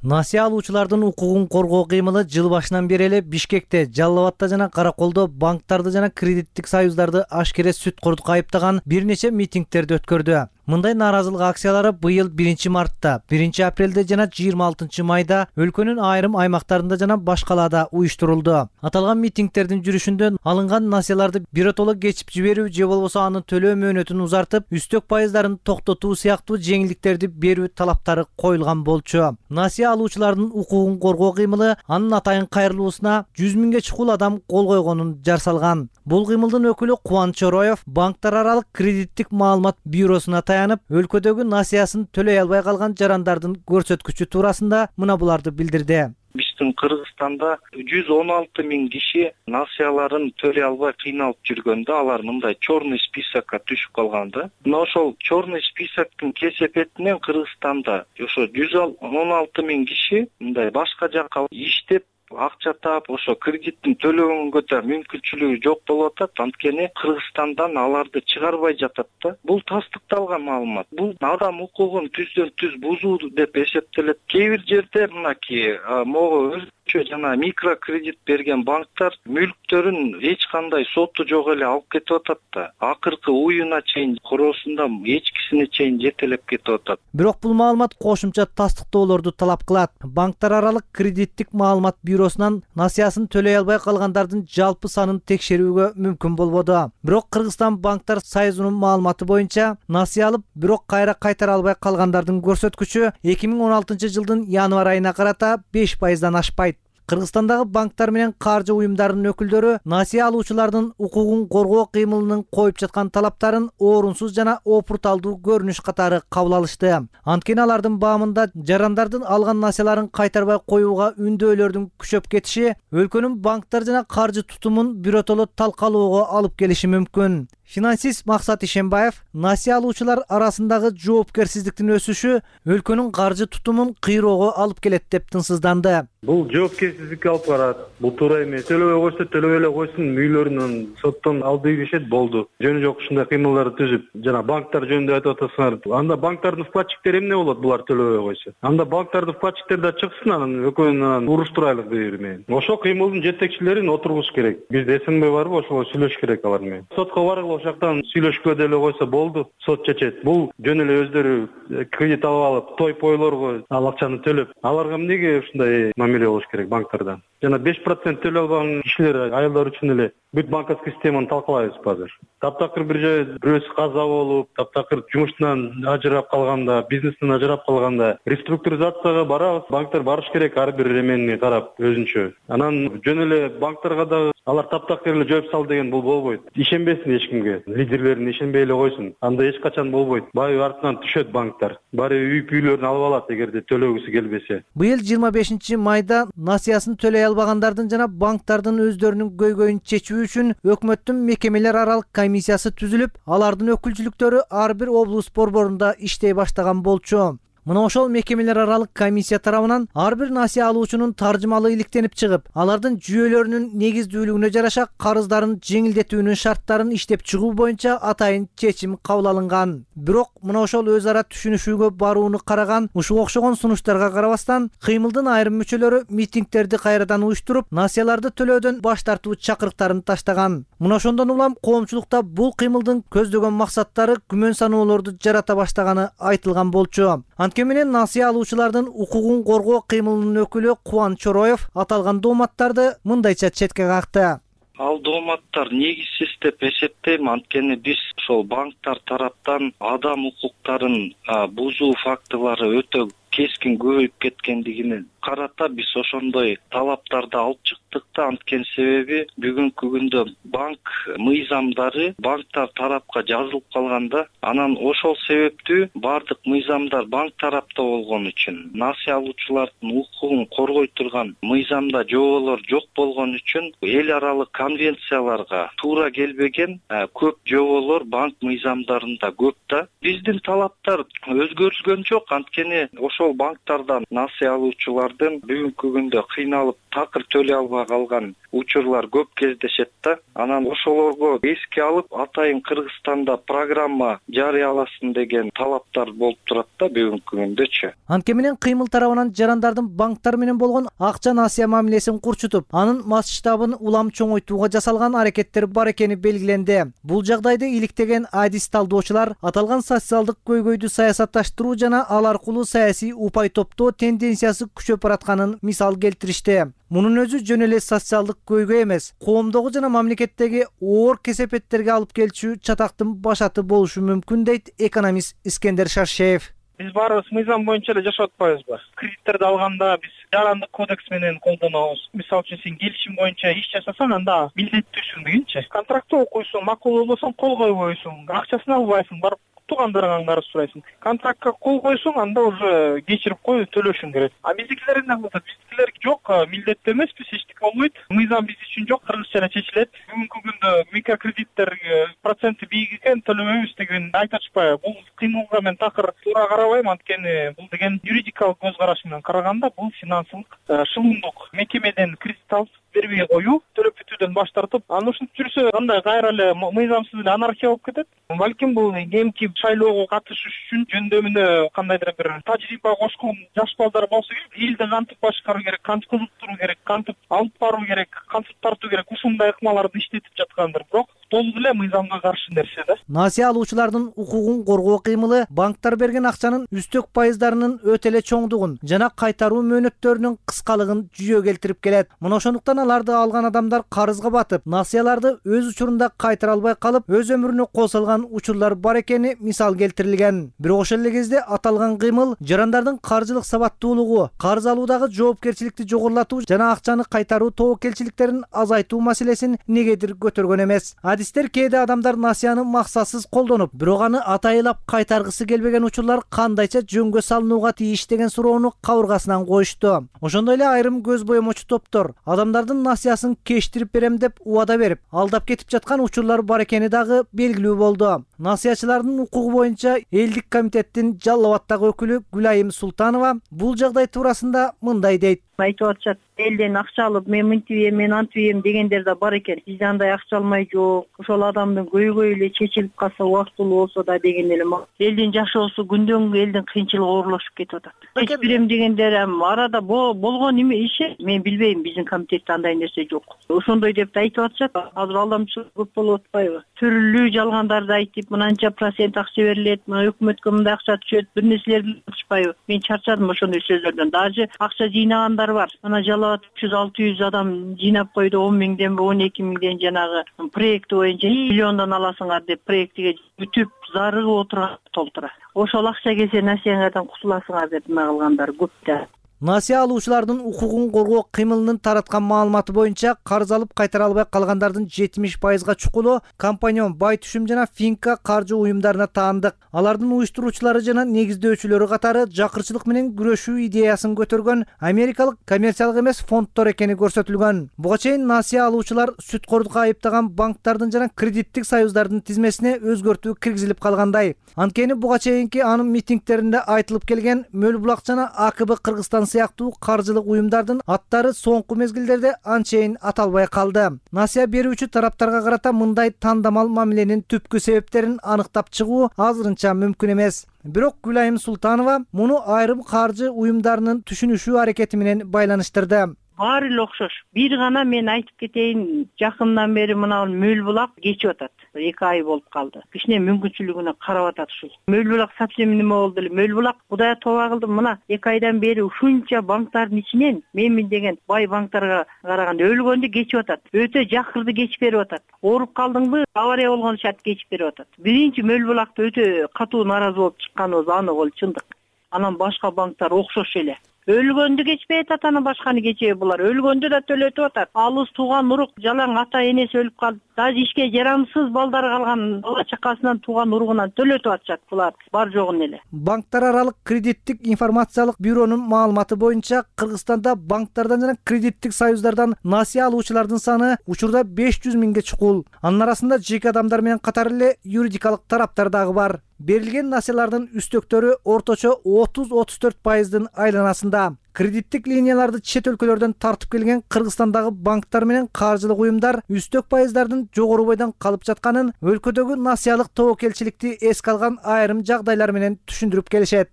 Насыя алуучулардын укугун коргоо кыймылы жыл башынан бери эле Бишкекте, Жалал Абадта жана Караколдо банктарды жана кредиттик союздарды ашкере сүт-курдукка айыптаган бир нече митингдерди өткөрдү. Мындай нааразылык акциялары быйыл 1-мартта, 1-апрелде жана 26-майда өлкөнүн айрым аймактарында жана башкаларда уюштурулду. Аталган митингдердин жүрүшүндө алынган насыяларды биротоло кечип жиберүү же болбосо аны төлөө мөөнөтүн узартып, үстөк пайыздарын токтотуу сыяктуу жеңилдиктерди берүү талаптары коюлган болчу. Насыя алуучулардын укугун коргоо кыймылы анын атайын кайрылуусуна 100 миңге чукул адам кол койгонун жар салган. Бул кыймылдын өкүлү Кубаныч Ороев банктар аралык кредиттик маалымат бюросуна таянып, өлкөдөгү насыясын төлөй албай калган жарандардын көрсөткүчү туурасында мына буларды билдирди. Биздин Кыргызстанда 116 миң киши насыяларын төлөй албай кыйналып жүргөндө, алар мындай черный списокко түшүп калганда, мына ошол черный списоктун кесепетинен Кыргызстанда ошо 116 миң киши мындай башка жакка иштеп акча таап, ошо кредиттин төлөгөнгө да мүмкүнчүлүгү жок болуп атат. Анткени Кыргызстандан аларды чыгарбай жатат да. Бул тастыкталган маалымат. Бул адам укугун түздөн түз бузуу деп эсептелет. Кээ бир жерде мынакей могу өзүнчө жана микрокредит берген банктар мүлктөрүн эч кандай соту жок эле алып кетип атат да. Акыркы уюна чейин, короосунда эчкисине чейин жетелеп кетип атат. Бирок бул маалымат кошумча тастыктоолорду талап кылат. Банктар аралык кредиттик маалымат бюросунан насыясын төлөй албай калгандардын жалпы санын текшерүүгө мүмкүн болбоду. Бирок Кыргызстан банктар союзунун маалыматы боюнча насыя алып, бирок кайра кайтара албай калгандардын көрсөткүчү 2016-жылдын январь айына карата 5%дан ашпайт. Кыргызстандагы банктар менен каржы уюмдарынын өкүлдөрү насыя алуучулардын укугун коргоо кыймылынын коюп жаткан талаптарын орунсуз жана опурталдуу көрүнүш катары кабыл алышты. Анткени алардын баамында жарандардын алган насыяларын кайтарбай коюуга үндөөлөрдүн күчөп кетиши өлкөнүн банктар жана каржы тутумун биротоло талкалоого алып келиши мүмкүн. Финансист Максат Ишенбаев насыя алуучулар арасындагы жоопкерсиздиктин өсүшү өлкөнүн каржы тутумун кыйроого алып келет деп тынчсызданды. Бул жоопкерсиздикке алып барат. Бул туура эмес. Төлөбөй койсо төлөбөй эле койсун, мүйлөрүнөн соттон алып беришет, болду. Жөнү жок ушундай кыймылдарды түзүп, жана банктар жөнүндө айтып атасыңар. Анда банктардын вкладчиктери эмне болот булар төлөбөй койсо? Анда банктардын вкладчиктери да чыксын, анан экөөнүн уруштурайлык бири менен. Ошол кыймылдын жетекчилерин отургуш керек. Бизде СНБ барбы, ошого сүйлөшүш керек алар менен. Сотко баргыла, ошол жактан сүйлөшкө деле койсо болду, сот чечет. Бул жөн эле өздөрү кредит алып алып, той-пойлорго ал акчаны төлөп, аларга эмнеге ушундай мамиле болуш керек банктардан? Жана 5% төлөй албаган кишилер, аялдар үчүн эле бүт банковский системаны талкалайбызбы азыр? Таптакыр бир жай бирөөсү каза болуп, таптакыр жумуштан ажырап калганда, бизнестен ажырап калганда реструктуризацияга барабыз. Банктар барыш керек ар бир эмени карап өзүнчө. Анан жөн эле банктарга да алар таптакыр эле жооп сал деген бул болбойт. Ишенбесин эч кимге. Лидерлерин ишенбей эле койсун. Анда эч качан болбойт. Баары артынан түшөт банктар. Баары үй-бүйлөрүн алып алат эгерде төлөгүсү келбесе. Быйыл 25-майда насыясын төлөй албагандардын жана банктардын өздөрүнүн көйгөйүн чечүү үчүн өкмөттүн мекемелер аралык комиссиясы түзүлүп, алардын өкүлчүлүктөрү ар бир облус борборунда иштей баштаган болчу. Мына ошол мекемелер аралык комиссия тарабынан ар бир насыя алуучунун таржымалы иликтенип чыгып, алардын жүйөлөрүнүн негиздүүлүгүнө жараша карыздарын жеңилдетүүнүн шарттарын иштеп чыгуу боюнча атайын чечим кабыл алынган. Бирок мына ошол өз ара түшүнүшүүгө барууну караган ушуга окшогон сунуштарга карабастан, кыймылдын айрым мүчөлөрү митингдерди кайрадан уюштуруп, насыяларды төлөөдөн баш тартуу чакырыктарын таштаган. Мына ошондон улам коомчулукта бул кыймылдын көздөгөн максаттары күмөн саноолорду жарата баштаганы айтылган болчу. Анткени менен насыя алуучулардын укугун коргоо кыймылынын өкүлү Кубаныч Ороев аталган дооматтарды мындайча четке какты. Ал дооматтар негизсиз деп эсептейм, анткени биз ошол банктар тараптан адам укуктарын бузуу фактылары өтө кескин көбөйүп кеткендигине карата биз ошондой талаптарды алып чыктык да. Анткени себеби бүгүнкү күндө банк мыйзамдары банктар тарапка жазылып калганда, анан ошол себептүү баардык мыйзамдар банк тарапта болгон үчүн, насыя алуучулардын укугун коргой турган мыйзамда жоболор жок болгон үчүн эл аралык конвенцияларга туура келбеген көп жоболор банк мыйзамдарында көп да. Биздин талаптар өзгөрүлгөн жок, анткени ошол банктардан насыя алуучулардын бүгүнкү күндө кыйналып такыр төлөй албай калган учурлар көп кездешет да. Анан ошолорго эске алып, атайын Кыргызстанда программа жарыяласын деген талаптар болуп турат да бүгүнкү күндөчү. Анткени менен кыймыл тарабынан жарандардын банктар менен болгон акча насыя мамилесин курчутуп, анын масштабын улам чоңойтууга жасалган аракеттер бар экени белгиленди. Бул жагдайды иликтеген адис талдоочулар аталган социалдык көйгөйдү саясатташтыруу жана ал аркылуу саясий упай топтоо тенденциясы күчөп баратканын мисал келтиришти. Мунун өзү жөн эле социалдык көйгөй эмес, коомдогу жана мамлекеттеги оор кесепеттерге алып келчү чатактын башаты болушу мүмкүн, дейт экономист Искендер Шаршеев. Биз баарыбыз мыйзам боюнча эле жашап атпайбызбы? Кредиттерди алганда биз жарандык кодекс менен колдонобуз. Мисалы үчүн сен келишим боюнча иш жасасаң, анда милдеттүүсүң дегенчи. Контрактты окуйсуң, макул болбосоң кол койбойсуң, акчасын албайсың, барып туугандарыңан барып сурайсың. Контрактка кол койсоң, анда уже кечирип кой, төлөшүң керек. А биздикилер эмне кылат? Биздикилер жок, милдеттүү эмеспиз, эчтеке болбойт. Мыйзам биз үчүн жок, кыргызча эле чечилет. Бүгүнкү күндө микрокредиттер проценти бийик экен, төлөбөйбүз деген айтышпайбы? Бул кыймылга мен такыр туура карабайм, анткени бул деген юридикалык көз караш менен караганда бул финансылык шылымдык. Мекемеден кредит алып бербей коюу, төлөп бүтүүдөн баш тартып, анан ушинтип жүрсө андай кайра эле мыйзамсыз эле анархия болуп кетет. Балким бул кийинки шайлоого катышыш үчүн жөндөмүнө кандайдыр бир тажрыйба кошкон жаш балдар болсо керек, элди кантип башкаруу керек, кантип кызыктыруу керек, кантип алып баруу керек, кантип тартуу керек, ушундай ыкмаларды иштетип жаткандыр. Бирок толук эле мыйзамга каршы нерсе да. Насыя алуучулардын укугун коргоо кыймылы банктар берген акчанын үстөк пайыздарынын өтө эле чоңдугун жана кайтаруу мөөнөттөрүнүн кыскалыгын жүйө келтирип келет. Мына ошондуктан аларды алган адамдар карызга батып, насыяларды өз учурунда кайтара албай калып, өз өмүрүнө кол салган учурлар бар экени мисал келтирилген. Бирок ошол эле кезде аталган кыймыл жарандардын каржылык сабаттуулугу, карыз алуудагы жоопкерчиликти жогорулатуу жана акчаны кайтаруу тобокелчиликтерин азайтуу маселесин негедир көтөргөн эмес. Адистер кээде адамдар насыяны максатсыз колдонуп, бирок аны атайылап кайтаргысы келбеген учурлар кандайча жөнгө салынууга тийиш деген суроону кабыргасынан коюшту. Ошондой эле айрым көз боемочу топтор адамдардын насыясын кечтирип берем деп убада берип, алдап кетип жаткан учурлар бар экени дагы белгилүү болду. Насыячылардын укугу боюнча элдик комитеттин Жалал Абаддагы өкүлү Гүлайым Султанова бул жагдай туурасында мындай дейт. Айтып атышат, элден акча алып, мен мынтип эм, мен антип эм дегендер да бар экен. Бизде андай акча алмай жок. Ошол адамдын көйгөйү эле чечилип калса, убактылуу болсо да деген эле. Элдин жашоосу күндөн күнгө элдин кыйынчылыгы оорлошуп кетип атат. Чечип берем дегендер арада болгон иш. Мен билбейм, биздин комитетте андай нерсе жок. Ошондой деп айтып атышат. Азыр алдамчылык көп болуп атпайбы? Түрлүү жалгандарды айтып, мынанча процент акча берилет, мына өкмөткө мындай акча түшөт, бир нерселерди айтышпайбы? Мен чарчадым ошондой сөздөрдөн. Даже акча жыйнагандар бар. Ана Жалал 300-600 адам жыйнап койду, 10 миңден 12 миңден жанагы проекти боюнча миллиондон аласыңар деп проектиге бүтүп зарыгып отурган толтура. Ошол акча келсе насыяңардан кутуласыңар деп эме кылгандар көп да. Насыя алуучулардын укугун коргоо кыймылынын тараткан маалыматы боюнча карыз алып кайтара албай калгандардын 70%га чукулу компаньон Бай Түшүм жана Финка каржы уюмдарына таандык. Алардын уюштуруучулары жана негиздөөчүлөрү катары жакырчылык менен күрөшүү идеясын көтөргөн америкалык коммерциялык эмес фонддор экени көрсөтүлгөн. Буга чейин насыя алуучулар сүткордукка айыптаган банктардын жана кредиттик союздардын тизмесине өзгөртүү киргизилип калгандай. Анткени буга чейинки анын митингтеринде айтылып келген Мөл Булак жана АКБ Кыргызстан сыяктуу каржылык уюмдардын аттары соңку мезгилдерде анчейин аталбай калды. Насыя берүүчү тараптарга карата мындай тандамал мамиленин түпкү себептерин аныктап чыгуу азырынча мүмкүн эмес. Бирок Гүлайым Султанова муну айрым каржы уюмдарынын түшүнүшүү аракети менен байланыштырды. баары эле окшош. Бир гана мен айтып кетейин, жакындан бери мына Мөл булак кечип атат. 2 ай болуп калды. Кичине мүмкүнчүлүгүнө карап атат ушул. Мөл булак совсем неме болду эле. Мөл булак Кудайга тооба кылдым, мына 2 айдан бери ушунча банктардын ичинен мен деген бай банктарга караганда өлгөндү кечип атат. Өтө жакырды кечип берип атат. Ооруп калдыңбы, авария болгон шарт кечип берип атат. Биринчи Мөл булакта өтө катуу нааразы болуп чыкканыбыз анык, ол чындык. Анан башка банктар окшош эле. Өлгөндү кечпей атат, анан башканы кечеби булар. Өлгөндү да төлөтүп атат. Алыс тууган урук, жалаң ата энеси өлүп калды. Даже ишке жарамсыз балдары калган бала чакасынан тууган уругунан төлөтүп атышат булар. Бар жогун эле. Банктар аралык кредиттик информациялык бюронун маалыматы боюнча Кыргызстанда банктардан жана кредиттик союздардан насыя алуучулардын саны учурда 500 миңге чукул. Анын арасында жеке адамдар менен катар эле юридикалык тараптар дагы бар. Берилген насыялардын үстөктөрү орточо 30-34% айланасында. Кредиттик линияларды чет өлкөлөрдөн тартып келген Кыргызстандагы банктар менен каржылык уюмдар үстөк пайыздардын жогору бойдон калып жатканын өлкөдөгү насыялык тобокелчиликти эске алган айрым жагдайлар менен түшүндүрүп келишет.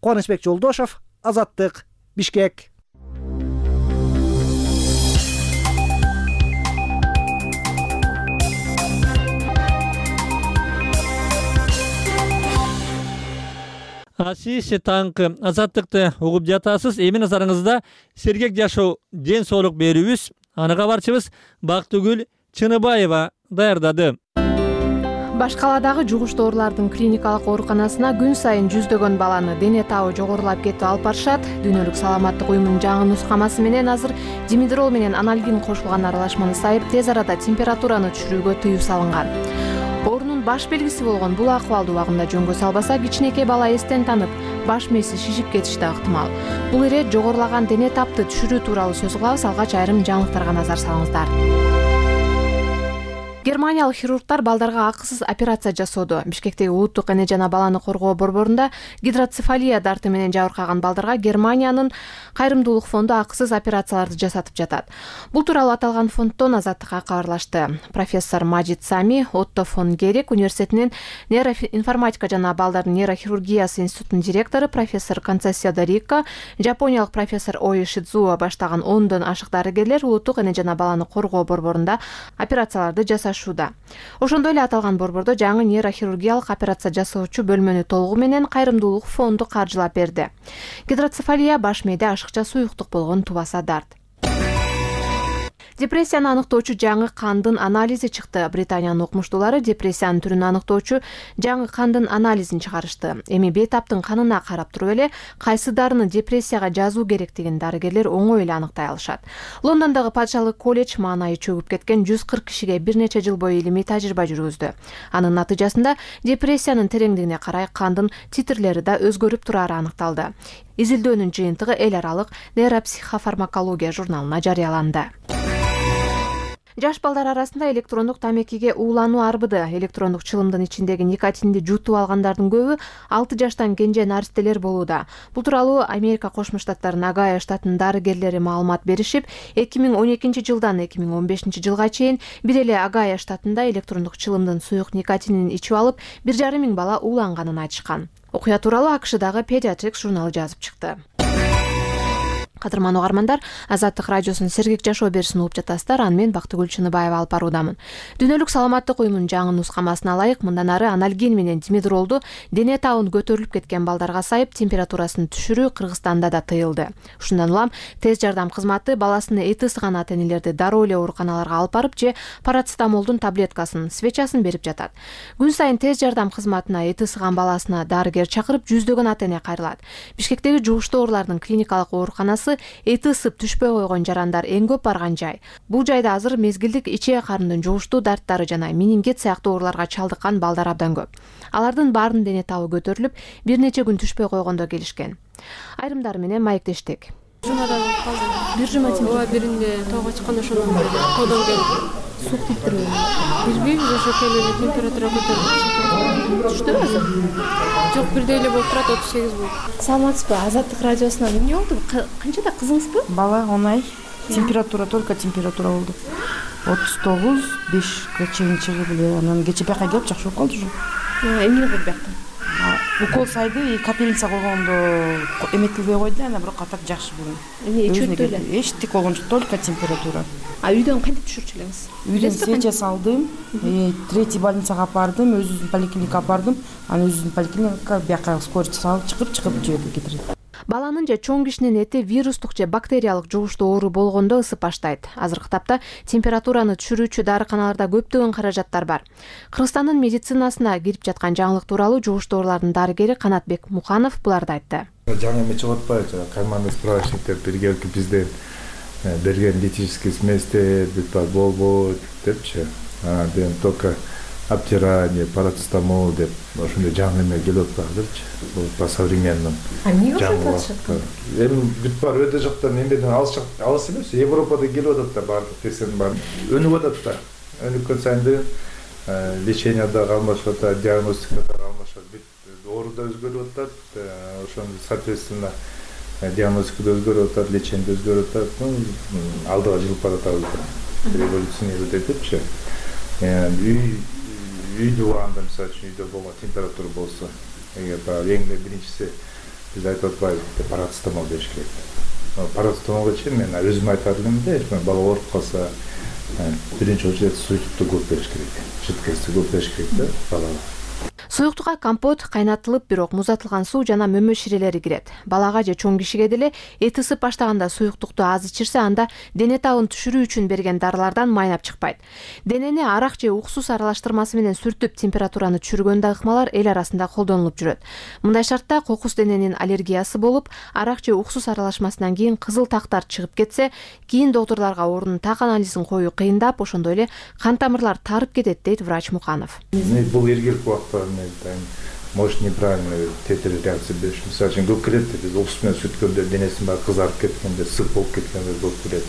Кубанычбек Жолдошов, Азаттык, Бишкек. Сиз таңкы Азаттыкты угуп жатасыз. Эми назарыңызда сергек жашоо ден соолук берүүбүз. Аны кабарчыбыз Бактыгүл Чыныбаева даярдады. Баш каладагы жугуштуу оорулардын клиникалык ооруканасына күн сайын жүздөгөн баланы дене табы жогорулап кетип алып барышат. Дүйнөлүк саламаттык уюмунун жаңы нускамасы менен азыр димедрол менен анальгин кошулган аралашманы сайып тез арада температураны түшүрүүгө тыюу салынган. Оорунун баш белгиси болгон бул акыбалды убагында жөнгө салбаса, кичинекей бала эстен танып, баш мээси шишип кетиши да ыктымал. Бул ирет жогорулаган дене тапты түшүрүү тууралуу сөз кылабыз. Алгач айрым жаңылыктарга назар салыңыздар. Германиялык хирургдар балдарга акысыз операция жасоодо. Бишкектеги улуттук эне жана баланы коргоо борборунда гидроцефалия дарты менен жабыркаган балдарга Германиянын кайрымдуулук фонду акысыз операцияларды жасатып жатат. Бул тууралуу аталган фонддон Азаттыкка кабарлашты. Профессор Мажид Сами Отто фон Герик университетинин нейроинформатика жана балдардын нейрохирургиясы институтунун директору профессор Концессио Дарико, жапониялык профессор Ои Шидзуо баштаган 10дон ашык дарыгерлер улуттук эне жана баланы коргоо борборунда операцияларды жасашат. Ошондой эле аталган борбордо жаңы нейрохирургиялык операция жасоочу бөлмөнү толугу менен кайрымдуулук фонду каржылап берди. Гидроцефалия баш мээде ашыкча суюктук болгон тубаса дарт. Депрессияны аныктоочу жаңы кандын анализи чыкты. Британиянын окумуштуулары депрессиянын түрүн аныктоочу жаңы кандын анализин чыгарышты. Эми бейтаптын канына карап туруп эле кайсы дарыны депрессияга жазуу керектигин дарыгерлер оңой эле аныктай алышат. Лондондогу Падышалык колледж маанайы чөгүп кеткен 140 кишиге бир нече жыл бою илимий тажрыйба жүргүздү. Анын натыйжасында депрессиянын тереңдигине карай кандын титрлери да өзгөрүп турары аныкталды. Изилдөөнүн жыйынтыгы эл аралык нейропсихофармакология журналына жарыяланды. Жаш балдар арасында электрондук тамекиге уулануу арбыды. Электрондук чылымдын ичиндеги никотинди жутуп алгандардын көбү 6 жаштан кенже наристелер болууда. Бул тууралуу Америка Кошмо Штаттарынын Огайо штатынын дарыгерлери маалымат беришип, 2012 жылдан 2015 жылга чейин бир эле Огайо штатында электрондук чылымдын суюк никотинин ичип алып 1,5 миң бала ууланганын айтышкан. Окуя тууралуу АКШдагы Pediatrics журналы жазып чыкты. Кадырман угармандар, Азаттык радиосунун сергек жашоо берүүсүн угуп жатасыздар. Аны мен Бактыгүл Чыныбаева алып баруудамын. Дүйнөлүк саламаттык уюмунун жаңы нускамасына ылайык мындан ары анальгин менен димедролду дене табын көтөрүлүп кеткен балдарга сайып температурасын түшүрүү Кыргызстанда да тыйылды. Ушундан улам тез жардам кызматы баласына эти ысыган ата энелерди дароо эле ооруканаларга алып барып же парацетамолдун таблеткасын, свечасын берип жатат. Күн сайын тез жардам кызматына эти ысыган баласына дарыгер чакырып жүздөгөн ата эне кайрылат. Бишкектеги жугуштуу оорулардын клиникалык ооруканасы эти ысып түшпөй койгон жарандар эң көп барган жай. Бул жайда азыр мезгилдик ичек карындын жугуштуу дарттары жана менингит сыяктуу ооруларга чалдыккан балдар абдан көп. Алардын баарынын дене табы көтөрүлүп, бир нече күн түшпөй койгондо келишкен. Айрымдары менен маектештик. Жумадан калды. Бир жума ооба, биринде тоого чыкканда ошондон бери тоодон келип сук тийиптирбейм. Бирбейбиз, ошо келип эле температура көтөрүлүп түштү азыр. Жок, бирдей эле болуп турат, 38 болуп. Саламатсызбы? Азаттык радиосунан эмне болду? Канчада кызыңызбы? Бала 10 ай. Температура только температура болду. 39, 5 чейин чыгып эле анан кече бияка келип жакшы болуп калды уже. Эмне кылды биякта? укол сайды капельница койгондо эметилбей койду ана бирок а так жакшы бүгүн. Эмне чөптү эле? Эчтик болгон жок, только температура. Үйдөн кантип түшүрчү элеңиз? Үйдөн сейчас алдым, третий больницага апардым, өзүбүздүн поликлиникага апардым, анан өзүбүздүн поликлиникага бияка скорый салып чыгып жерге кетирет. Баланын же чоң кишинин эти вирустук же бактериялык жугуштуу оору болгондо ысып баштайт. Азыркы тапта температураны түшүрүүчү дарыканаларда көптөгөн каражаттар бар. Кыргызстандын медицинасына кирип жаткан жаңылык тууралуу жугуштуу оорулардын дарыгери Канатбек Муканов буларды айтты. Жаңы эме чыгып атпайбы? Командный справочниктер биргеликти бизден берген диетический сместер, болбойт депчи. Анан только обтирание, парацетамол деп ошондой жаңы эме келип атпайбыдырчы. По современным. Эмне ошентип атышат? Эми бүт бар өтө жактан эмнеден алыс эмес, Европада келип атат да баардык тесен бар. Өнүп атат да. Өнүккөн сайын лечение да алмашып атат, диагностика да алмашып атат. Оору да өзгөрүп атат. Ошондо соответственно диагностика да өзгөрүп атат, лечение да өзгөрүп атат. Алдыга жылып баратабыз. Революционирует этипчи. Үйдө анда мисалы үчүн үйдө болгон температура болсо, эгер эң биринчиси биз айтып атпайбыз, парацетамол бериш керек. Парацетамолго чейин мен өзүм айтар элемде, бала ооруп калса, биринчи очередь суюктукту көп бериш керек. Жидкостьти көп бериш керек да балага. Суюктукка компот, кайнатылып, бирок музатылган суу жана мөмө ширелери кирет. Балага же чоң кишиге деле эт ысып баштаганда суюктукту аз ичирсе, анда дене табын түшүрүү үчүн берген дарылардан майнап чыкпайт. Денени арак же уксус аралаштырмасы менен сүртүп температураны түшүргөн ыкмалар эл арасында колдонулуп жүрөт. Мындай шартта кокус дененин аллергиясы болуп, арак же уксус аралашмасынан кийин кызыл тактар чыгып кетсе, кийин доктурларга оорунун так анализин коюу кыйындап, ошондой эле кан тамырлар тарып кетет, дейт врач Муканов. Бул эргилик убакта может неправильно тетель реакция бериш. Мисалы үчүн көп келет, биз уксус менен сүрткөндө денесин баары кызарып кеткенде, сып болуп кеткенде көп келет.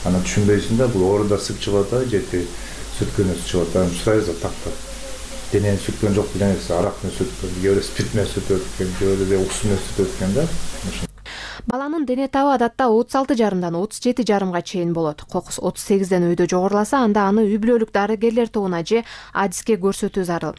Аны түшүнбөйсүң да, бул ооруда сып чыгып атабы, же сүрткөндө чыгып атабы, сурайсың тактап. Денени сүрткөн жок деген нерсе, арак менен сүрткөн, же спирт менен сүртүп өткөн, же уксус менен сүртүп өткөн да. Баланын дене табы адатта 36,5дан 37,5га чейин болот. Кокус 38ден өйдө жогоруласа, анда аны үй бүлөлүк дарыгерлер тобуна же адиске көрсөтүү зарыл.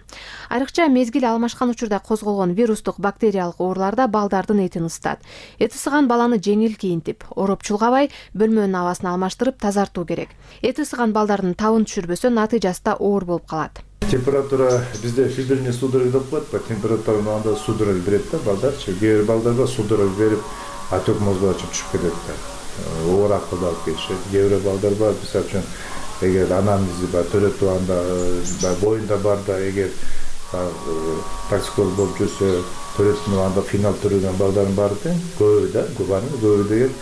Айрыкча мезгил алмашкан учурда козголгон вирустук бактериялык ооруларда балдардын этин ысытат. Эт ысыган баланы жеңил кийинтип, ороп чулгабай, бөлмөнүн абасын алмаштырып тазартуу керек. Эт ысыган балдардын табын түшүрбөсө, натыйжасында оор болуп калат. Температура bizde фибрильный судорог деп коет, температура анда судорог берет да балдарчы. Кээ бир балдарга судорог берип, отек мозгуна түшүп кетет да. Ооракка да алып кетишет. Кээ бир балдар бар, мисалы үчүн эгер анамнези бар, төрөтүү анда боюнда бар да, эгер токсикоз болуп жүрсө, төрөтүүнүн анда финал төрөгөн балдардын баары тең, көбү да, көбү деген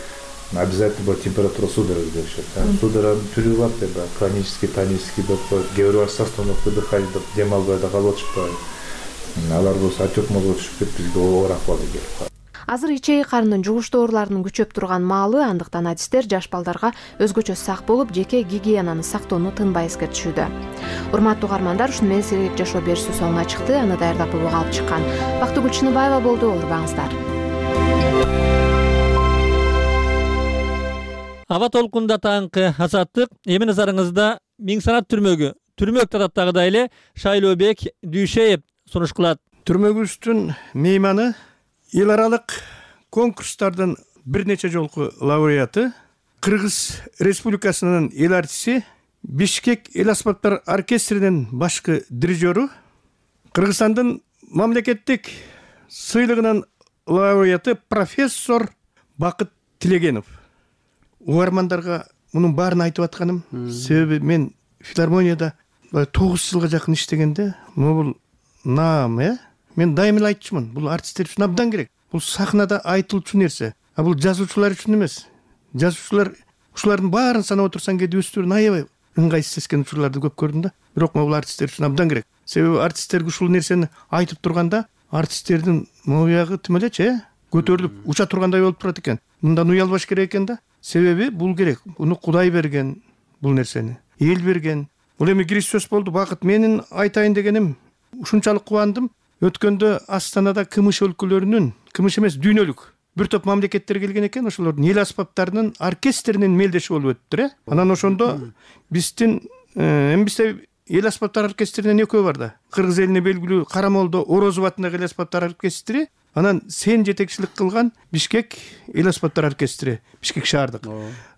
обязательно будет температура судорог беришет. Судорогдун түрү бар деп, клонический, тонический деп коет. Кээ бир остановка дыхания деп дем албай да калып атышпайбы. Алар болсо отек мозгуна түшүп кетип бизге оор акыбалга келип. Азыр ичеги карындын жугуштуу ооруларынын күчөп турган маалы, андыктан адистер жаш балдарга өзгөчө сак болуп, жеке гигиенаны сактоону тынбай эскертишүүдө. Урматтуу угармандар, ушуну менен сергек жашоо берүүсү соңуна чыкты. Аны даярдап буга алып чыккан Бактыгүл Чыныбаева болду. Урбаңыздар. Аба толкунда таңкы азаттык эми назарыңызда Миң Санат түрмөгү. Түрмөк тататтагыдай эле Шайлообек Дүйшеев сунуш кылат. Түрмөгүбүздүн мейманы эл аралык конкурстардын бир нече жолку лауреаты, Кыргыз Республикасынын эл артиси, Бишкек эл аспаптар оркестринин башкы дирижеру, Кыргызстандын мамлекеттик сыйлыгынын лауреаты профессор Бакыт Тилегенов. Угармандарга мунун баарын айтып атканым, себеби мен филармонияда 9 жылга жакын иштегенде, бул наам, мен дайым эле айтчумун, бул артисттер үчүн абдан керек. Бул сахнада айтылчу нерсе. А бул жазуучулар үчүн эмес. Жазуучулар ушулардын баарын санап отурсаң кээде өздөрүн аябай ыңгайсыз сезген учурларды көп көрдүм да. Бирок бул артисттер үчүн абдан керек. Себеби артисттерге ушул нерсени айтып турганда, артисттердин моюягы тим элечи, көтөрүлүп, уча тургандай болуп турат экен. Мындан уялбаш керек экен да. Себеби бул керек. Буну Кудай берген бул нерсени. Эл берген. Бул эми кириш сөз болду. Бакыт менин айтайын дегеним, ушунчалык кубандым. Өткөндө Астанада Кымыш өлкөлөрүнүн, Кымыш эмес, дүйнөлүк бир топ мамлекеттер келген экен, ошолордун эл аспаптарынын оркестринин мелдеши болуп өттү. Анан ошондо биздин бизде эл аспаптар оркестринен экөө бар да. Кыргыз элине белгилүү Карамолдо Орозов атындагы эл аспаптар оркестри, анан сен жетекчилик кылган Бишкек эл аспаптар оркестри, Бишкек шаардык.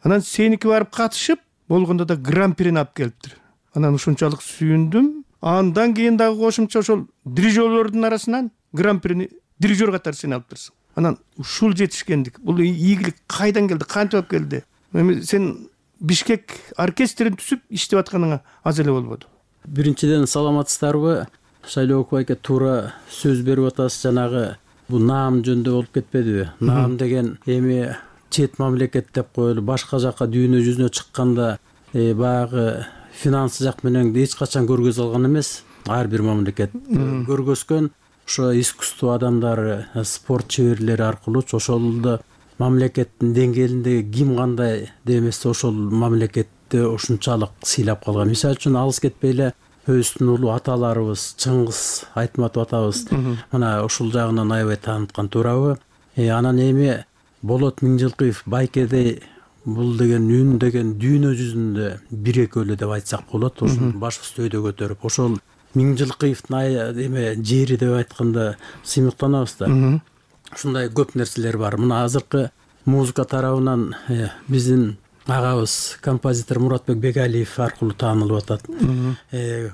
Анан сеники барып катышып, болгондо да гран-прини алып келиптир. Анан ушунчалык сүйүндүм. Андан кийин дагы кошумча ошол дирижерлордун арасынан гран-прини дирижер катары сен алыптырсың. Анан ушул жетишкендик, бул ийгилик кайдан келди, кантип алып келди? Эми сен Бишкек оркестрин түзүп иштеп атканыңа аз эле болбоду. Биринчиден саламатсыздарбы? Шайлооков айке туура сөз берип атасыз. Жанагы бул наам жөнүндө болуп кетпедиби? Наам деген эми чет мамлекет деп коелу, башка жакка дүйнө жүзүнө чыкканда баягы финансы жак менен эч качан көргөзө алган эмес. Ар бир мамлекет көргөзгөн ошо искусство адамдары, спорт чеберлери аркылуу ошолду мамлекеттин деңгээлинде ким кандай демесе ошол мамлекетти ушунчалык сыйлап калган. Мисалы үчүн алыс кетпей эле өзүбүздүн улуу аталарыбыз, Чыңгыз Айтматов атабыз мына ушул жагынан аябай тааныткан, туурабы? Анан эми Болот Миңжилкыев Байкеде бул деген үн деген дүйнө жүзүндө бир экөлүү деп айтсак болот. Ошол башыбызды өйдө көтөрүп, ошол Миңжилкыевдин эме жери деп айтканда сыймыктанабыз да. Ушундай көп нерселер бар. Мына азыркы музыка тарабынан биздин агабыз композитор Муратбек Бегалиев аркылуу таанылып атат.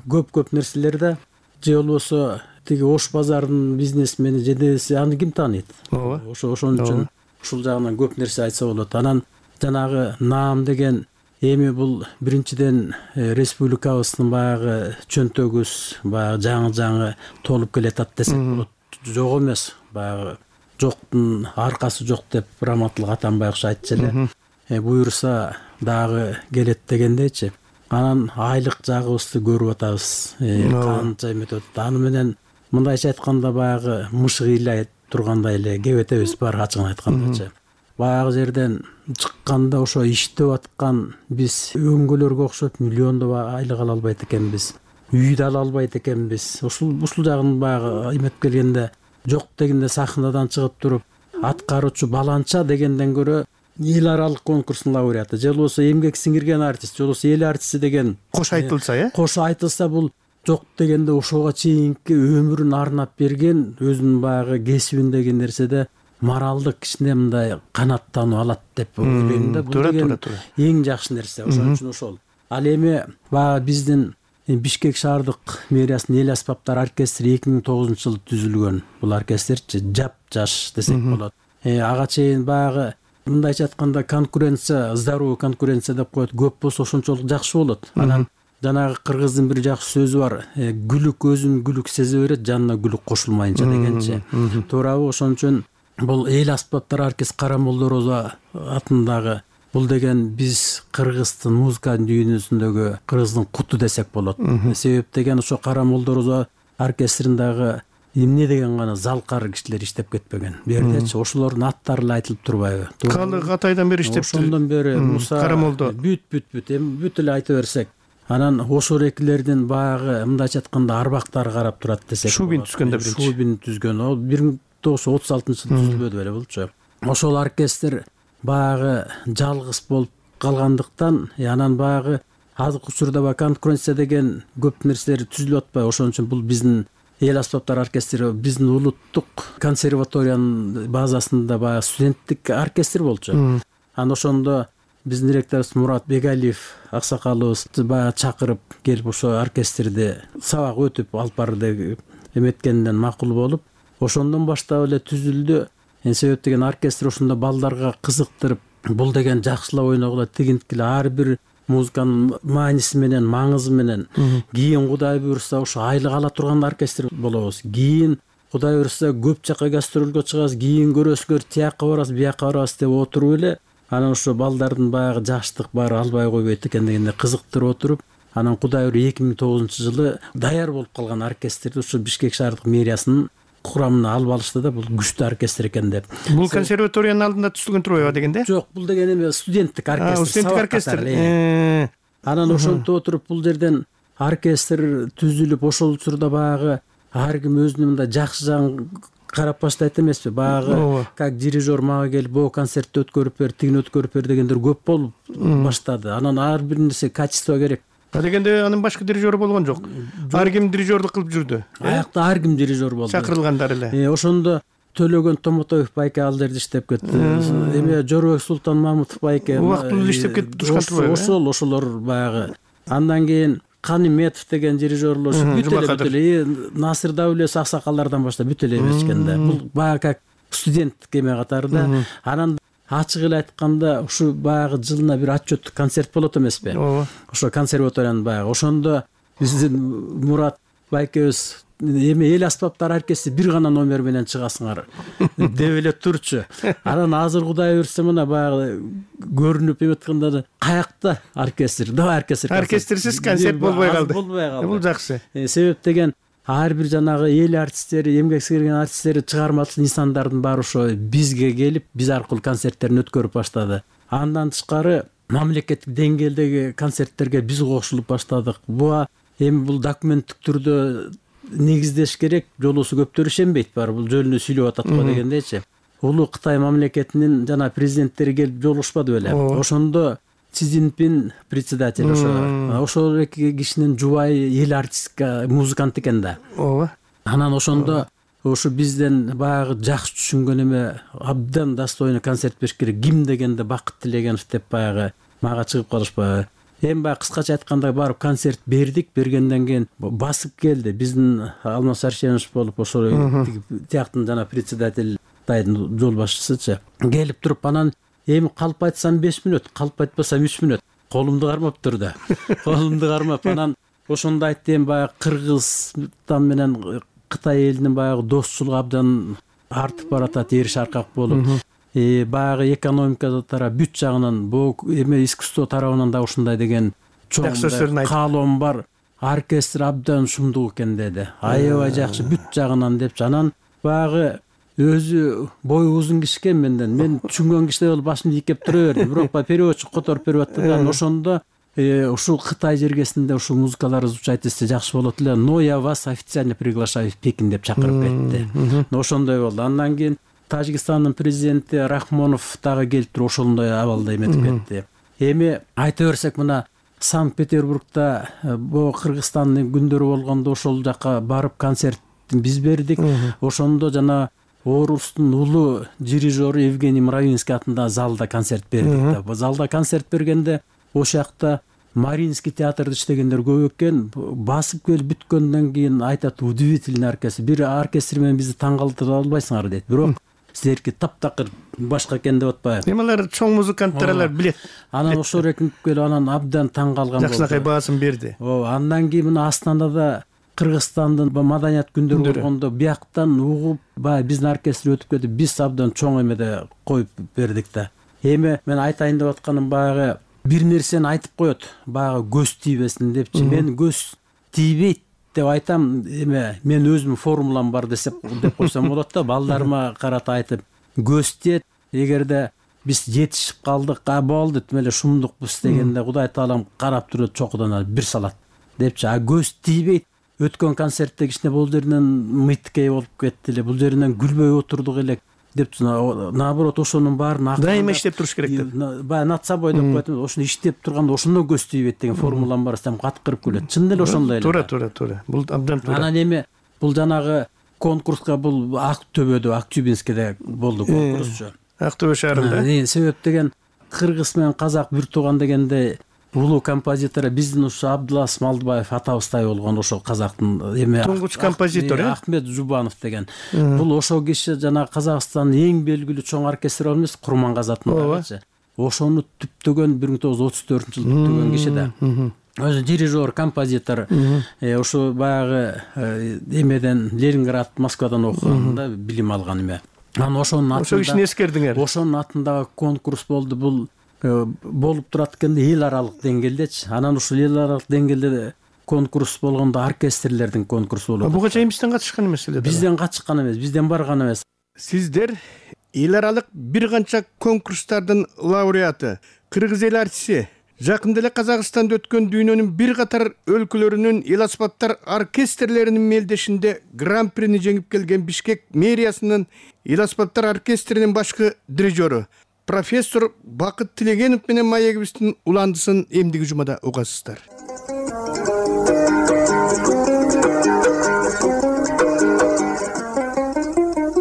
Көп нерселер да, же болбосо тиги Ош базарынын бизнесмени жедеси аны ким тааныйт? Ошон үчүн ушул жагынан көп нерсе айтса болот. Анан жанагы наам деген эми бул биринчиден республикабыздын баягы чөнтөгүбүз баягы жаңы толуп келатат десек болот. Жок эмес, баягы жоктун аркасы жок деп Раматылык Атамбаев айтчу эле. Буюрса дагы келет дегендейчи. Анан айлык жагыбызды көрүп атабыз. Канча эметип атат. Аны менен мындайча айтканда баягы мышык ыйлай тургандай эле кебетебиз бар, ачыгын айткандачы. Баягы жерден чыкканда ошо иштеп аткан биз өңгөлөргө окшоп миллиондоп айлык ала албайт экенбиз. Үйдү ала албайт экенбиз. Ушул жагын баягы эметип келгенде жок дегенде сахнадан чыгып туруп аткаруучу баланча дегенден көрө эл аралык конкурстун лауреаты, же болбосо эмгек сиңирген артист, же болбосо эл артисти деген кош айтылса, кош айтылса, бул жок дегенде ошого чейинки өмүрүн арнап берген, өзүнүн баягы кесибиндеги нерседе моралдык кичине мындай канаттануу алат деп ойлойм да. Бул деген эң жакшы нерсе. Ошон үчүн ошол. Ал эми баягы биздин Бишкек шаардык мэриясынын эл аспаптар оркестри 2009-жылы түзүлгөн. Бул оркестрчи жап-жаш десек болот. Ага чейин баягы мындайча айтканда конкуренция, здоровый конкуренция деп коет, көп болсо ошончолук жакшы болот. Анан жанагы кыргыздын бир жакшы сөзү бар. Гүлүк өзүн гүлүк сезе берет, жанына гүлүк кошулмайынча дегенчи. Туурабы? Ошон үчүн бул эл аспаптар оркестри Карамолдо Орозов атындагы бул деген биз кыргыздын музыка дүйнөсүндөгү кыргыздын куту десек болот. Себеп деген ошо Карамолдо Орозов оркестриндагы эмне деген гана залкар кишилер иштеп кетпеген. Бердечи ошолордун аттары эле айтылып турбайбы? Калды катайдан бери иштептир. Ошондон бери Муса Карамолдо эми бүт эле айта берсек. Анан ошол экилердин баягы мындайча айтканда арбактары карап турат десек. Шубин түзгөндө биринчи. Шубин түзгөн. Ал 1936-жылы түзүлбөдү беле болчу. Ошол оркестр баягы жалгыз болуп калгандыктан, анан баягы азыркы учурда баягы конкуренция деген көп нерселер түзүлүп атпайбы? Ошон үчүн бул биздин эл аспаптар оркестри биздин улуттук консерваториянын базасында баягы студенттик оркестр болчу. Анан ошондо биздин ректорубуз Мурат Бегалиев аксакалыбыз баягы чакырып келип ошо оркестрди сабак өтүп алып бары деп эметкенден макул болуп, ошондон баштап эле түзүлдү. Себеп деген оркестр ушунда балдарга кызыктырып, бул деген жакшылап ойногула, тигинткиле ар бир музыканын мааниси менен, маңызы менен. Кийин Кудай буйрса ошо айлык ала турган оркестр болобуз. Кийин Кудай буйрса көп жакка гастролго чыгабыз, кийин көрөсүңөр тияка барабыз, бияка барабыз деп отуруп эле, анан ошо балдардын баягы жаштык баары албай койбойт экен дегенде кызыктырып отуруп, анан Кудай буйруп 2009-жылы даяр болуп калган оркестрди ушу Бишкек шаардык мэриясынын курамына алып алышты да, бул күчтүү оркестр экен деп. Бул консерваториянын алдында түзүлгөн турбайбы дегенде? Жок, бул деген эме студенттик оркестр. Студенттик оркестр. Анан ошентип отуруп бул жерден оркестр түзүлүп, ошол учурда баягы ар ким өзүнүн мындай жакшы жагын карап баштайт эмеспи? Баягы как дирижер мага келип, бул концертти өткөрүп бер, тигини өткөрүп бер дегендер көп болуп баштады. Анан ар бир нерсе качество керек. Дегенде анын башка дирижеру болгон жок. Ар ким дирижерлук кылып жүрдү. Аякта ар ким дирижер болду. Чакырылгандар эле. Ошондо Төлөгөн Томотоев байке ал жерде иштеп кетти. Эме Жорбек Султан Мамутов байке убактылуу иштеп кетип турушкан. Ошолор баягы. Андан кийин Каниметов деген дирижерлор бүт эле Насыр Даулес аксакалдардан баштап бүт эле беришкен да. Бул баягы как студент эме катары да. Анан ачык эле айтканда ушу баягы жылына бир отчет концерт болот эмеспи? Ошо консерваториянын баягы. Ошондо биздин Мурат байкебиз эми эл аспаптар оркестри бир гана номер менен чыгасыңар деп эле турчу. Анан азыр Кудай буйрса мына баягы көрүнүп эметканда каякта оркестр, давай оркестр. Оркестрсиз концерт болбой калды. Бул жакшы. Себеп деген ар бир жанагы эл артисттери, эмгек сіңирген артисттери, чыгармачыл инсандардын баары ошо бизге келип, биз аркылуу концерттерин өткөрүп баштады. Андан тышкары мамлекеттик деңгээлдеги концерттерге биз кошулуп баштадык. Эми бул документтик түрдө негиздеш керек, жолуусу көптөр ишенбейт баары бул жөнүндө сүйлөп атат го дегендейчи. Улуу Кытай мамлекетинин жана президенттери келип жолугушпады беле. Ошондо Си Цзиньпин председатель ошол эки кишинин жубайы эл артистка музыкант экен да. Анан ошондо ошо бизден баягы жакшы түшүнгөн эме абдан достойный концерт бериш керек. Ким дегенде Бакыт Тилегенов деп баягы мага чыгып калышпайбы. Эми баягы кыскача айтканда барып концерт бердик. Бергенден кийин басып келди. Биздин Алмаз Аршенович болуп ошол тияктын жана председатель Тайдын жол башчысычы келип туруп анан эми калп айтсам 5 мүнөт, калп айтпасам 3 мүнөт. Колумду кармаптыр да. Колумду кармап анан ошондо айтты эми баягы Кыргызстан менен Кытай элинин баягы достчулугу абдан артып баратат, эриш аркак болуп. Баягы экономика тарап бүт жагынан бул эме искусство тарабынан да ушундай деген чоң каалоом бар. Оркестр абдан шумдук экен деди. Аябай жакшы бүт жагынан депчи. Анан баягы өзү бою узун киши экен менден. Мен түшүнгөн кишидей болуп башымды ийкеп тура бердим. Бирок переводчик которуп берип аттырган. Ошондо ушул Кытай жергесинде ушул музыкалар звучать этсе жакшы болот эле. Но я вас официально приглашаю в Пекин деп чакырып кетти. Ошондой болду. Андан кийин Тажикстандын президенти Рахмонов дагы келип туруп ошондой абалда эметип кетти. Эми айта берсек мына Санкт-Петербургда бул Кыргызстандын күндөрү болгондо ошол жака барып концерт биз бердик. Ошондо жана Орустун улуу дирижеру Евгений Мравинский атында залда концерт бердик. Залда концерт бергенде ошол жакта Маринский театрда иштегендер көп экен. Басып келип бүткөндөн кийин айтат, удивительный оркестр. Бир оркестр менен бизди таң калтыра албайсыңар дейт. Бирок силерге таптакыр башка экен деп атпайбы. Эмелер чоң музыканттар алар билет. Анан ошол экинип келип анан абдан таң калган болду. Жакшынакай баасын берди. Андан кийин мына Астанада Кыргызстандын маданият күндөрү болгондо бияктан угуп, баягы биздин оркестр өтүп кетип, биз абдан чоң эмеде коюп бердик да. Эми мен айтайын деп атканым баягы бир нерсени айтып коет, баягы көз тийбесин депчи. Мен көз тийбейт деп айтам. Эме мен өзүмдүн формулам бар деп койсом болот да. Балдарыма карата айтып, көз тиет. Эгерде биз жетишип калдык, болду эле шумдукпуз дегенде Кудай таалам карап турат, чокудан бир салат депчи. Көз тийбейт. Өткөн концертте кичине бул жеринен мыйткей болуп кетти эле, бул жеринен күлбөй отурдук эле депчи. Наоборот, ошонун баарын дайыма иштеп туруш керек деп. Баягы над собой деп коет. Ошону иштеп турганда ошондон көз тийбейт деген формулам бар десем каткырып күлөт. Чын эле ошондой эле. Туура. Бул абдан туура. Анан эми бул жанагы конкурска бул Ак Төбөдө, Актюбинскиде болду конкурсчу. Ак Төбө шаарында. Себеп деген кыргыз менен казак бир тууган дегенде улуу композитор биздин ушу Абдулас Малдыбаев атабыздай болгон ошол казактын эме туңгуч композитор Ахмет Жубанов деген. Бул ошол киши жана Казакстандын эң белгилүү чоң оркестр эмес, Курмангазы атындагычы. Ошону түптөгөн 1934-жылы түптөгөн киши да. Өзү дирижер, композитор. Ошо баягы эмеден Ленинград, Москвадан окуганда билим алган эме. Анан ошонун атында ошол кишини эскердиңер. Ошонун атындагы конкурс болду. Бул болуп турат экенде эл аралык деңгээлдечи. Анан ушул эл аралык деңгээлде конкурс болгондо оркестрлердин конкурсу болот. Буга чейин бизден катышкан эмес эле. Бизден катышкан эмес, бизден барган эмес. Сиздер эл аралык бир канча конкурстардын лауреаты, кыргыз эл артисти. Жакында эле Казакстанда өткөн дүйнөнүн бир катар өлкөлөрүнүн эл аспаптар оркестрлеринин мелдешинде гран-прини жеңип келген Бишкек мэриясынын эл аспаптар оркестринин башкы дирижеру профессор Бакыт Тилегенов менен маегибиздин уландысын эмдиги жумада угасыздар.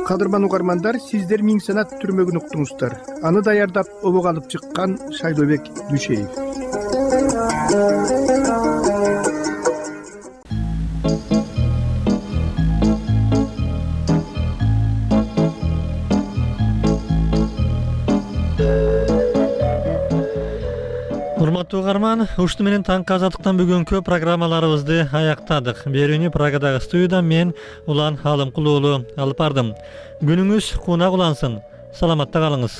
кадырман угармандар, сиздер Миң санат түрмөгүн уктуңуздар. Аны даярдап обого алып чыккан Шайлообек Дүшеев. Урматтуу угарман, ушуну менен таңкы азаттыктан бүгүнкү программаларыбызды аяктадык. Берүүнү Прагадагы студиядан мен Улан Алымкул уулу алып бардым. Күнүңүз кунак улансын. Саламатта калыңыз.